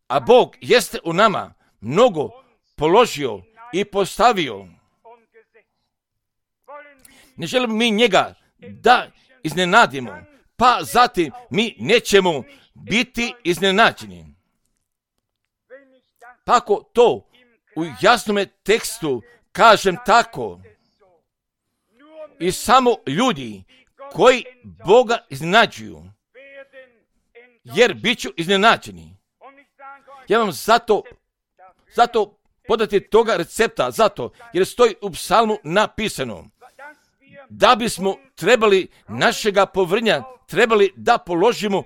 A Bog jeste u nama mnogo položio i postavio. Ne želimo mi njega da iznenadimo, pa zatim mi nećemo biti iznenađeni. Pa ako to u jasnome tekstu kažem tako, i samo ljudi koji Boga iznenađuju, jer bit ću iznenađeni. Ja vam zato, zato podati toga recepta, zato jer stoji u psalmu napisano da bismo trebali našega povrnja, trebali da položimo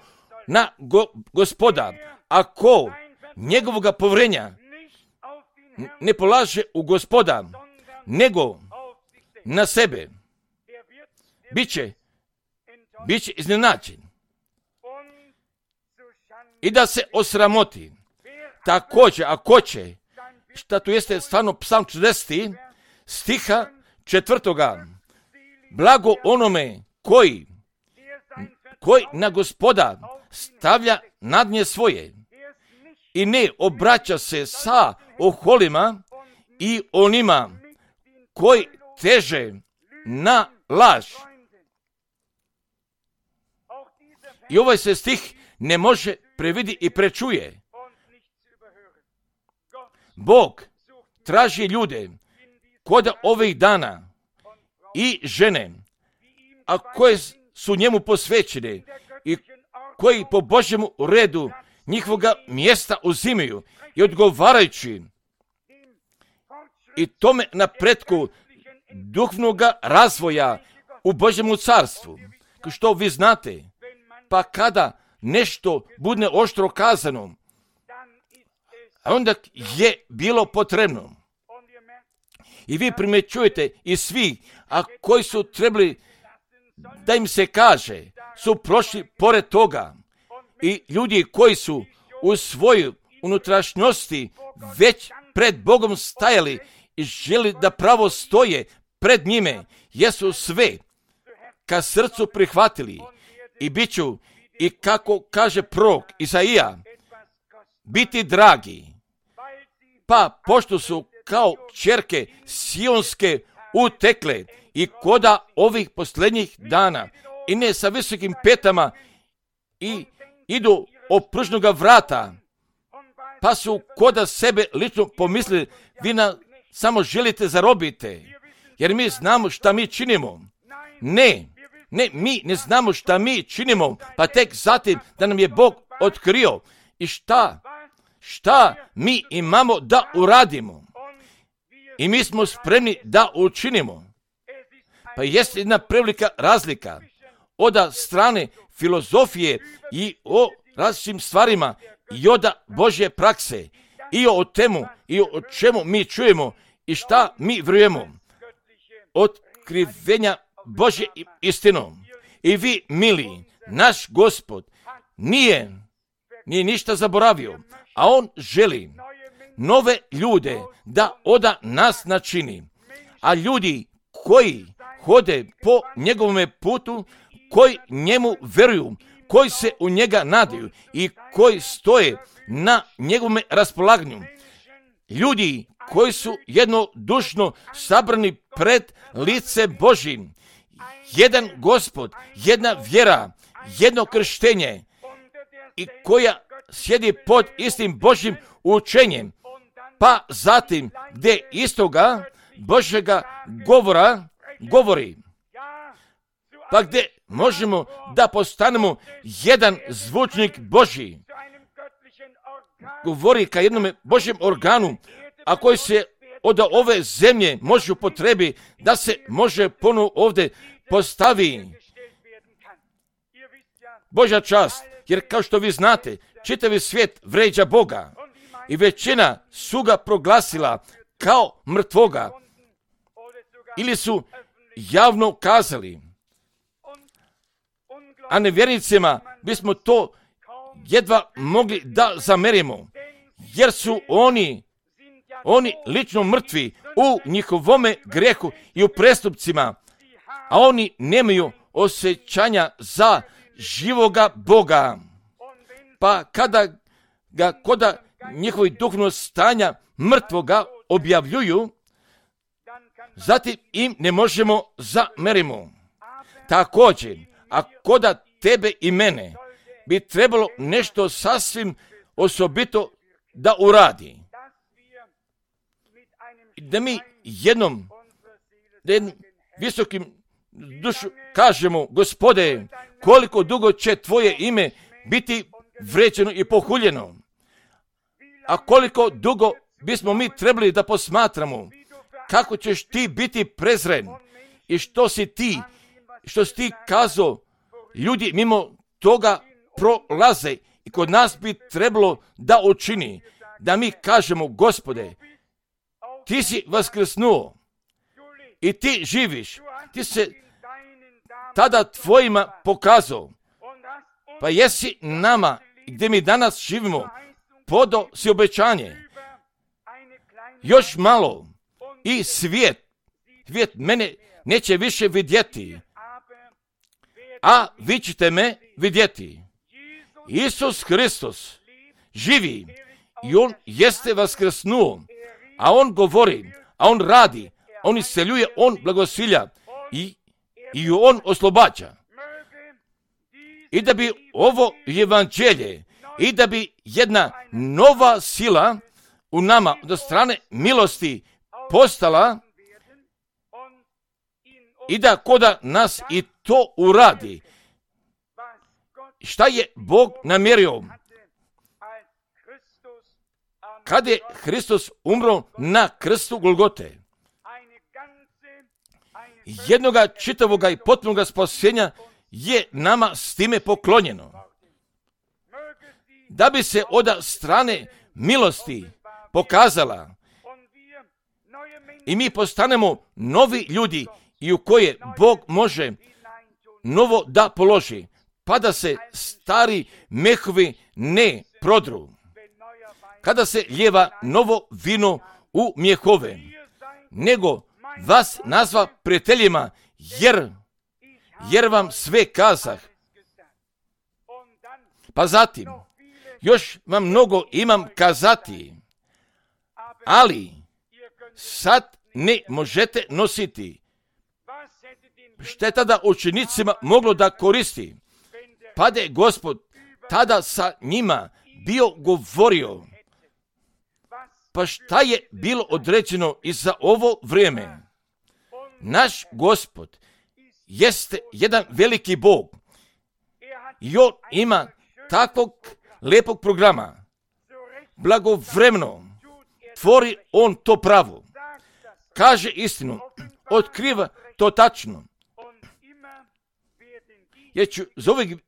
na go, Gospoda. Ako njegovoga povrenja ne polaže u Gospoda, nego na sebe, bit će, bit će iznenađen i da se osramoti. Također, ako će, šta tu jeste stvarno psalm četrdeset stiha četvrtoga, blago onome koji, koji na Gospoda stavlja nadnje svoje i ne obraća se sa oholima i onima koji teže na laž. I ovaj se stih ne može previdi i prečuje. Bog traži ljude koda ovih dana i žene, a koje su njemu posvećene i koji po Božjemu redu njihovoga mjesta uzimaju i odgovarajući i tome napretku duhovnog razvoja u Božjemu carstvu. Kao što vi znate, pa kada nešto bude oštro kazano, onda je bilo potrebno. I vi primjećujete i svi, a koji su trebali da im se kaže, su prošli pored toga. I ljudi koji su u svojoj unutrašnjosti već pred Bogom stajali i želi da pravo stoje pred njime, jesu sve ka srcu prihvatili i bit ću, i kako kaže prorok Izaija, biti dragi. Pa pošto su kao kćerke sionske utekle i koda ovih posljednjih dana i ne sa visokim petama i idu opružnoga vrata, pa su koda sebe lično pomislili, vi na samo želite zarobite, jer mi znamo šta mi činimo. Ne, ne, mi ne znamo šta mi činimo, pa tek zatim da nam je Bog otkrio i šta, šta mi imamo da uradimo. I mi smo spremni da učinimo. Pa jest jedna prevelika razlika od strane filozofije i o različitim stvarima i od Božje prakse i o temu i o čemu mi čujemo i šta mi vjerujemo. Otkrivenja Božje istinom. I vi, mili, naš Gospod nije, nije ništa zaboravio, a on želi nove ljude da oda nas načini. A ljudi koji hode po njegovome putu, koji njemu veruju, koji se u njega nadaju i koji stoje na njegovome raspolaganju. Ljudi koji su jednodušno sabrani pred lice Božjim. Jedan Gospod, jedna vjera, jedno krštenje i koja sjedi pod istim Božjim učenjem. Pa zatim gdje istoga Božjega govora govori. Pa gdje možemo da postanemo jedan zvučnik Božji. Govori ka jednom Božjem organu, a koji se od ove zemlje može upotrebi da se može ponovo ovdje postavi. Božja čast, jer kao što vi znate, čitavi svijet vređa Boga i većina su ga proglasila kao mrtvoga ili su javno kazali a nevjernicima bismo to jedva mogli da zamerimo, jer su oni, oni lično mrtvi u njihovome grehu i u prestupcima, a oni nemaju osjećanja za živoga Boga. Pa kada ga koda njihovi duhovnog stanja mrtvoga objavljuju, zatim im ne možemo zamerimo. Također, a koda tebe i mene bi trebalo nešto sasvim osobito da uradi. Da mi jednom, da jednom visokim dušu kažemo, Gospode, koliko dugo će tvoje ime biti vređeno i pohuljeno, a koliko dugo bismo mi trebali da posmatramo kako ćeš ti biti prezren i što si ti, što si ti kazao, ljudi mimo toga prolaze i kod nas bi trebalo da učini, da mi kažemo, Gospode, ti si vaskrsnuo i ti živiš, ti se tada tvojima pokazao, pa jesi nama, gdje mi danas živimo, podao si obećanje. Još malo i svijet, svijet mene neće više vidjeti, a vi ćete me vidjeti. Isus Hristos živi i on jeste vaskrsnuo, a on govori, a on radi, on isceljuje, on blagosilja i, i on oslobađa. I da bi ovo evanđelje, i da bi jedna nova sila u nama od strane milosti postala i da koda nas i to uradi. Šta je Bog namjerio? Kad je Hristos umro na krstu Golgote, jednoga čitavoga i potpunoga spasenja je nama s time poklonjeno. Da bi se od strane milosti pokazala i mi postanemo novi ljudi i u koje Bog može novo da položi, pa da se stari mehovi ne prodru. Kada se lijeva novo vino u mjehove, nego vas nazva prijateljima, jer, jer vam sve kazah. Pa zatim, još vam mnogo imam kazati, ali sad ne možete nositi. Što je tada učenicima moglo da koristi? Pa da je Gospod tada sa njima bio govorio. Pa šta je bilo određeno i za ovo vrijeme? Naš Gospod jeste jedan veliki Bog i on ima takvog lijepog programa. Blagovremeno tvori on to pravo. Kaže istinu, otkriva to tačno. Jer ću za uvijek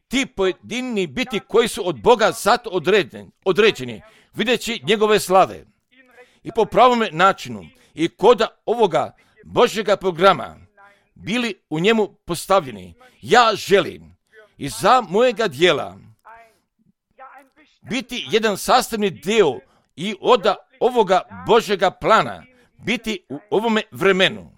ti pojedini biti koji su od Boga zato određeni, određeni videći njegove slave. I po pravome načinu i koda ovoga Božjega programa bili u njemu postavljeni. Ja želim i za mojega dijela biti jedan sastavni dio i od ovoga Božjega plana biti u ovome vremenu.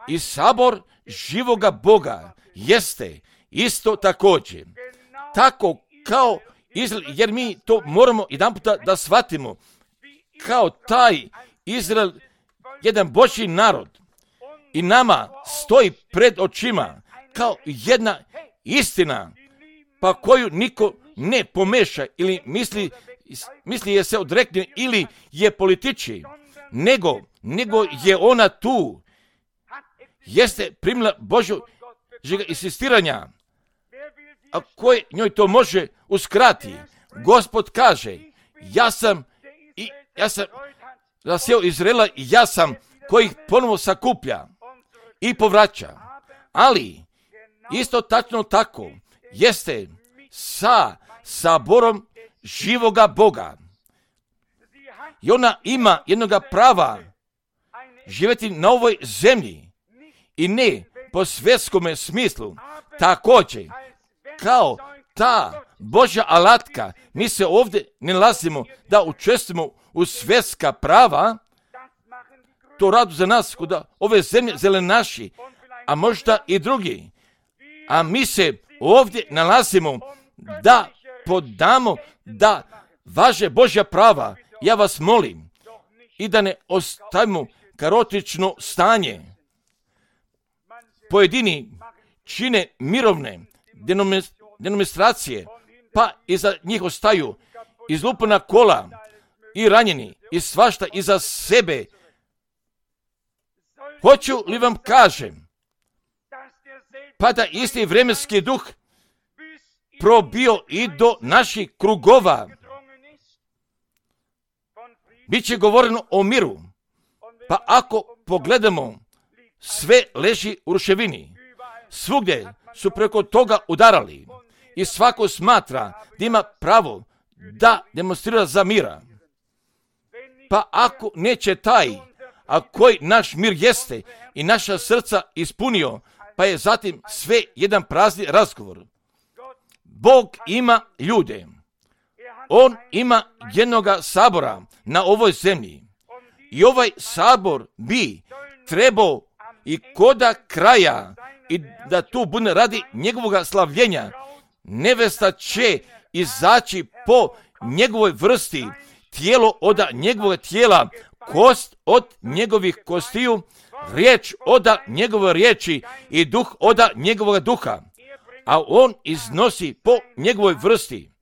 I sabor živoga Boga jeste isto također. Tako kao Izrael, jer mi to moramo jedan puta da shvatimo, kao taj Izrael, jedan Božji narod i nama stoji pred očima kao jedna istina, pa koju niko ne pomeša ili misli, misli je se odrekne ili je političi, nego, nego je ona tu, jeste primila Božjega insistiranja, a koje njoj to može uskrati. Gospod kaže, ja sam i ja sam zasio Izraela i ja sam koji ih ponovo sakuplja i povraća. Ali isto tačno tako jeste sa saborom živoga Boga. I ona ima jednoga prava živjeti na ovoj zemlji i ne po svjetskome smislu, također, kao ta Božja alatka, mi se ovdje ne nalazimo da učestvujemo u svjetska prava, to radu za nas kod ove zemlje zelenaši, a možda i drugi. A mi se ovdje nalazimo da podamo da važe Božja prava. Ja vas molim i da ne ostavimo kaotično stanje. Pojedini čine mirovne demonstracije, pa iza njih ostaju izlupana kola i ranjeni i svašta iza sebe. Hoću li vam kažem, pa da isti vremenski duh probio i do naših krugova. Biće govoreno o miru, pa ako pogledamo, sve leži u ruševini. Svugdje su preko toga udarali i svako smatra da ima pravo da demonstrira za mira. Pa ako neće taj, a koji naš mir jeste i naša srca ispunio, pa je zatim sve jedan prazni razgovor. Bog ima ljude. On ima jednoga sabora na ovoj zemlji. I ovaj sabor bi trebao i koda kraja i da tu bude radi njegovoga slavljenja. Nevesta će izaći po njegovoj vrsti, tijelo od njegovog tijela, kost od njegovih kostiju, riječ od njegove riječi i duh od njegovog duha. A on iznosi po njegovoj vrsti.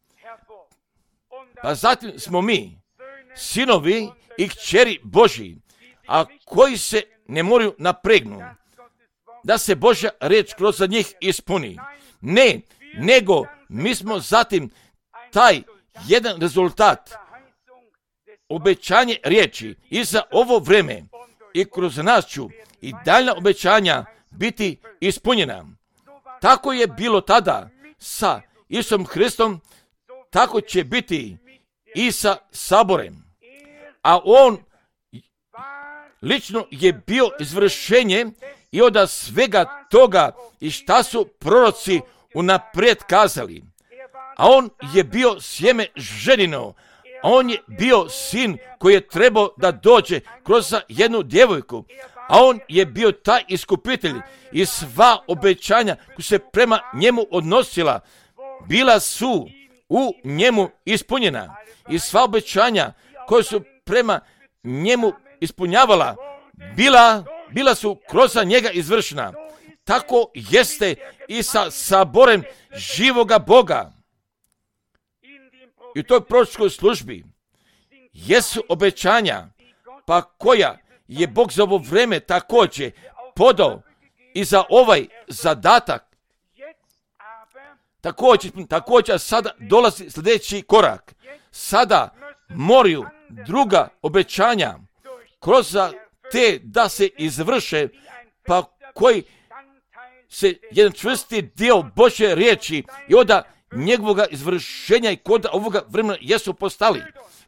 Pa zatim smo mi, sinovi i kćeri Božji, a koji se ne moraju napregnu, da se Božja riječ kroz njih ispuni. Ne, nego mi smo zatim taj jedan rezultat, obećanje riječi i za ovo vreme i kroz nas ću i daljna obećanja biti ispunjena. Tako je bilo tada sa Isusom Hristom, tako će biti i sa saborem. A on lično je bio izvršenje i od svega toga i šta su proroci unaprijed kazali. A on je bio sjeme ženino, a on je bio sin koji je trebao da dođe kroz jednu djevojku, a on je bio taj iskupitelj i sva obećanja koja se prema njemu odnosila, bila su u njemu ispunjena i sva obećanja koja su prema njemu ispunjavala, bila, bila su kroz njega izvršena. Tako jeste i sa saborem živoga Boga. I u toj proročkoj službi jesu obećanja, pa koja je Bog za ovo vreme također podao i za ovaj zadatak. Također, također sada dolazi sljedeći korak. Sada moraju druga obećanja kroz te da se izvrše, pa koji se jedan čvrsti dio Božje riječi i od njegovog izvršenja i kod ovoga vremena jesu postali.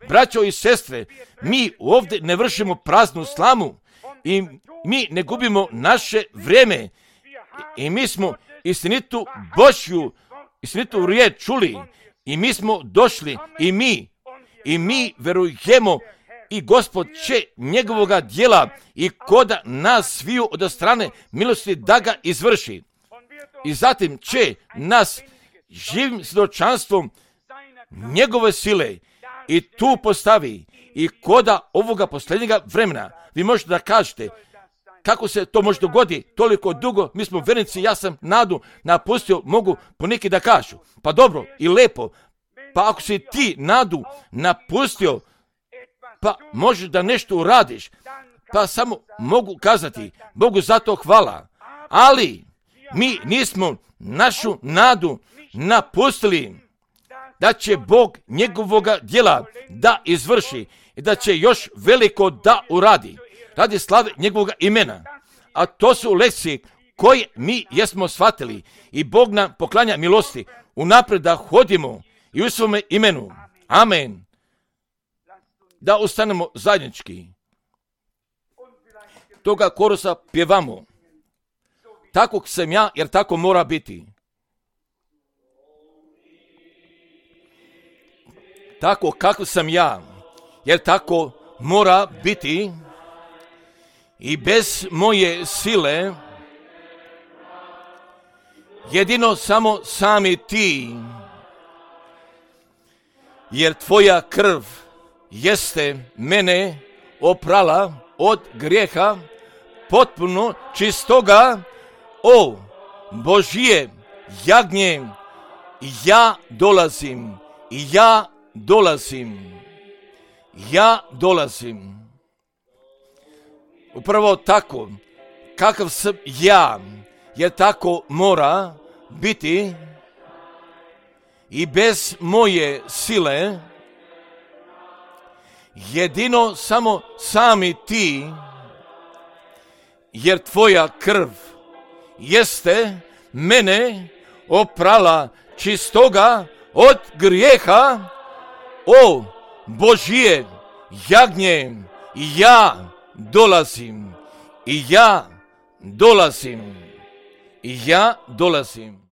Braćo i sestre, mi ovdje ne vršimo praznu slamu i mi ne gubimo naše vrijeme i mi smo istinitu Božju, istinitu riječ čuli i mi smo došli i mi i mi verujemo i Gospod će njegovoga djela i koda nas sviju od strane milosti da ga izvrši. I zatim će nas živim svjedočanstvom njegove sile i tu postavi i koda ovoga posljednjega vremena. Vi možete da kažete kako se to može dogoditi toliko dugo, mi smo vernici, ja sam nadu napustio, mogu poneki da kažu. Pa dobro i lepo, pa ako si ti nadu napustio, pa možeš da nešto uradiš, pa samo mogu kazati Bogu za to hvala. Ali mi nismo našu nadu napustili da će Bog njegovoga djela da izvrši i da će još veliko da uradi radi slave njegovog imena. A to su lekcije koje mi jesmo shvatili i Bog nam poklanja milosti unaprijed da hodimo i u svome imenu. Amen. Da ustanemo zajednički. Toga korusa pjevamo. Takvog sam ja, jer tako mora biti. tako kako sam ja, jer tako mora biti i bez moje sile, jedino samo sami ti, jer tvoja krv jeste mene oprala od grijeha potpuno čistoga, o Božje jagnje, ja dolazim, ja dolazim, ja dolazim. Upravo tako, kakav sam ja, jer tako mora biti i bez moje sile, jedino samo sami ti, jer tvoja krv jeste mene oprala čistoga od grijeha, o Božje jagnje, ja dolazim, i ja dolazim, i ja dolazim.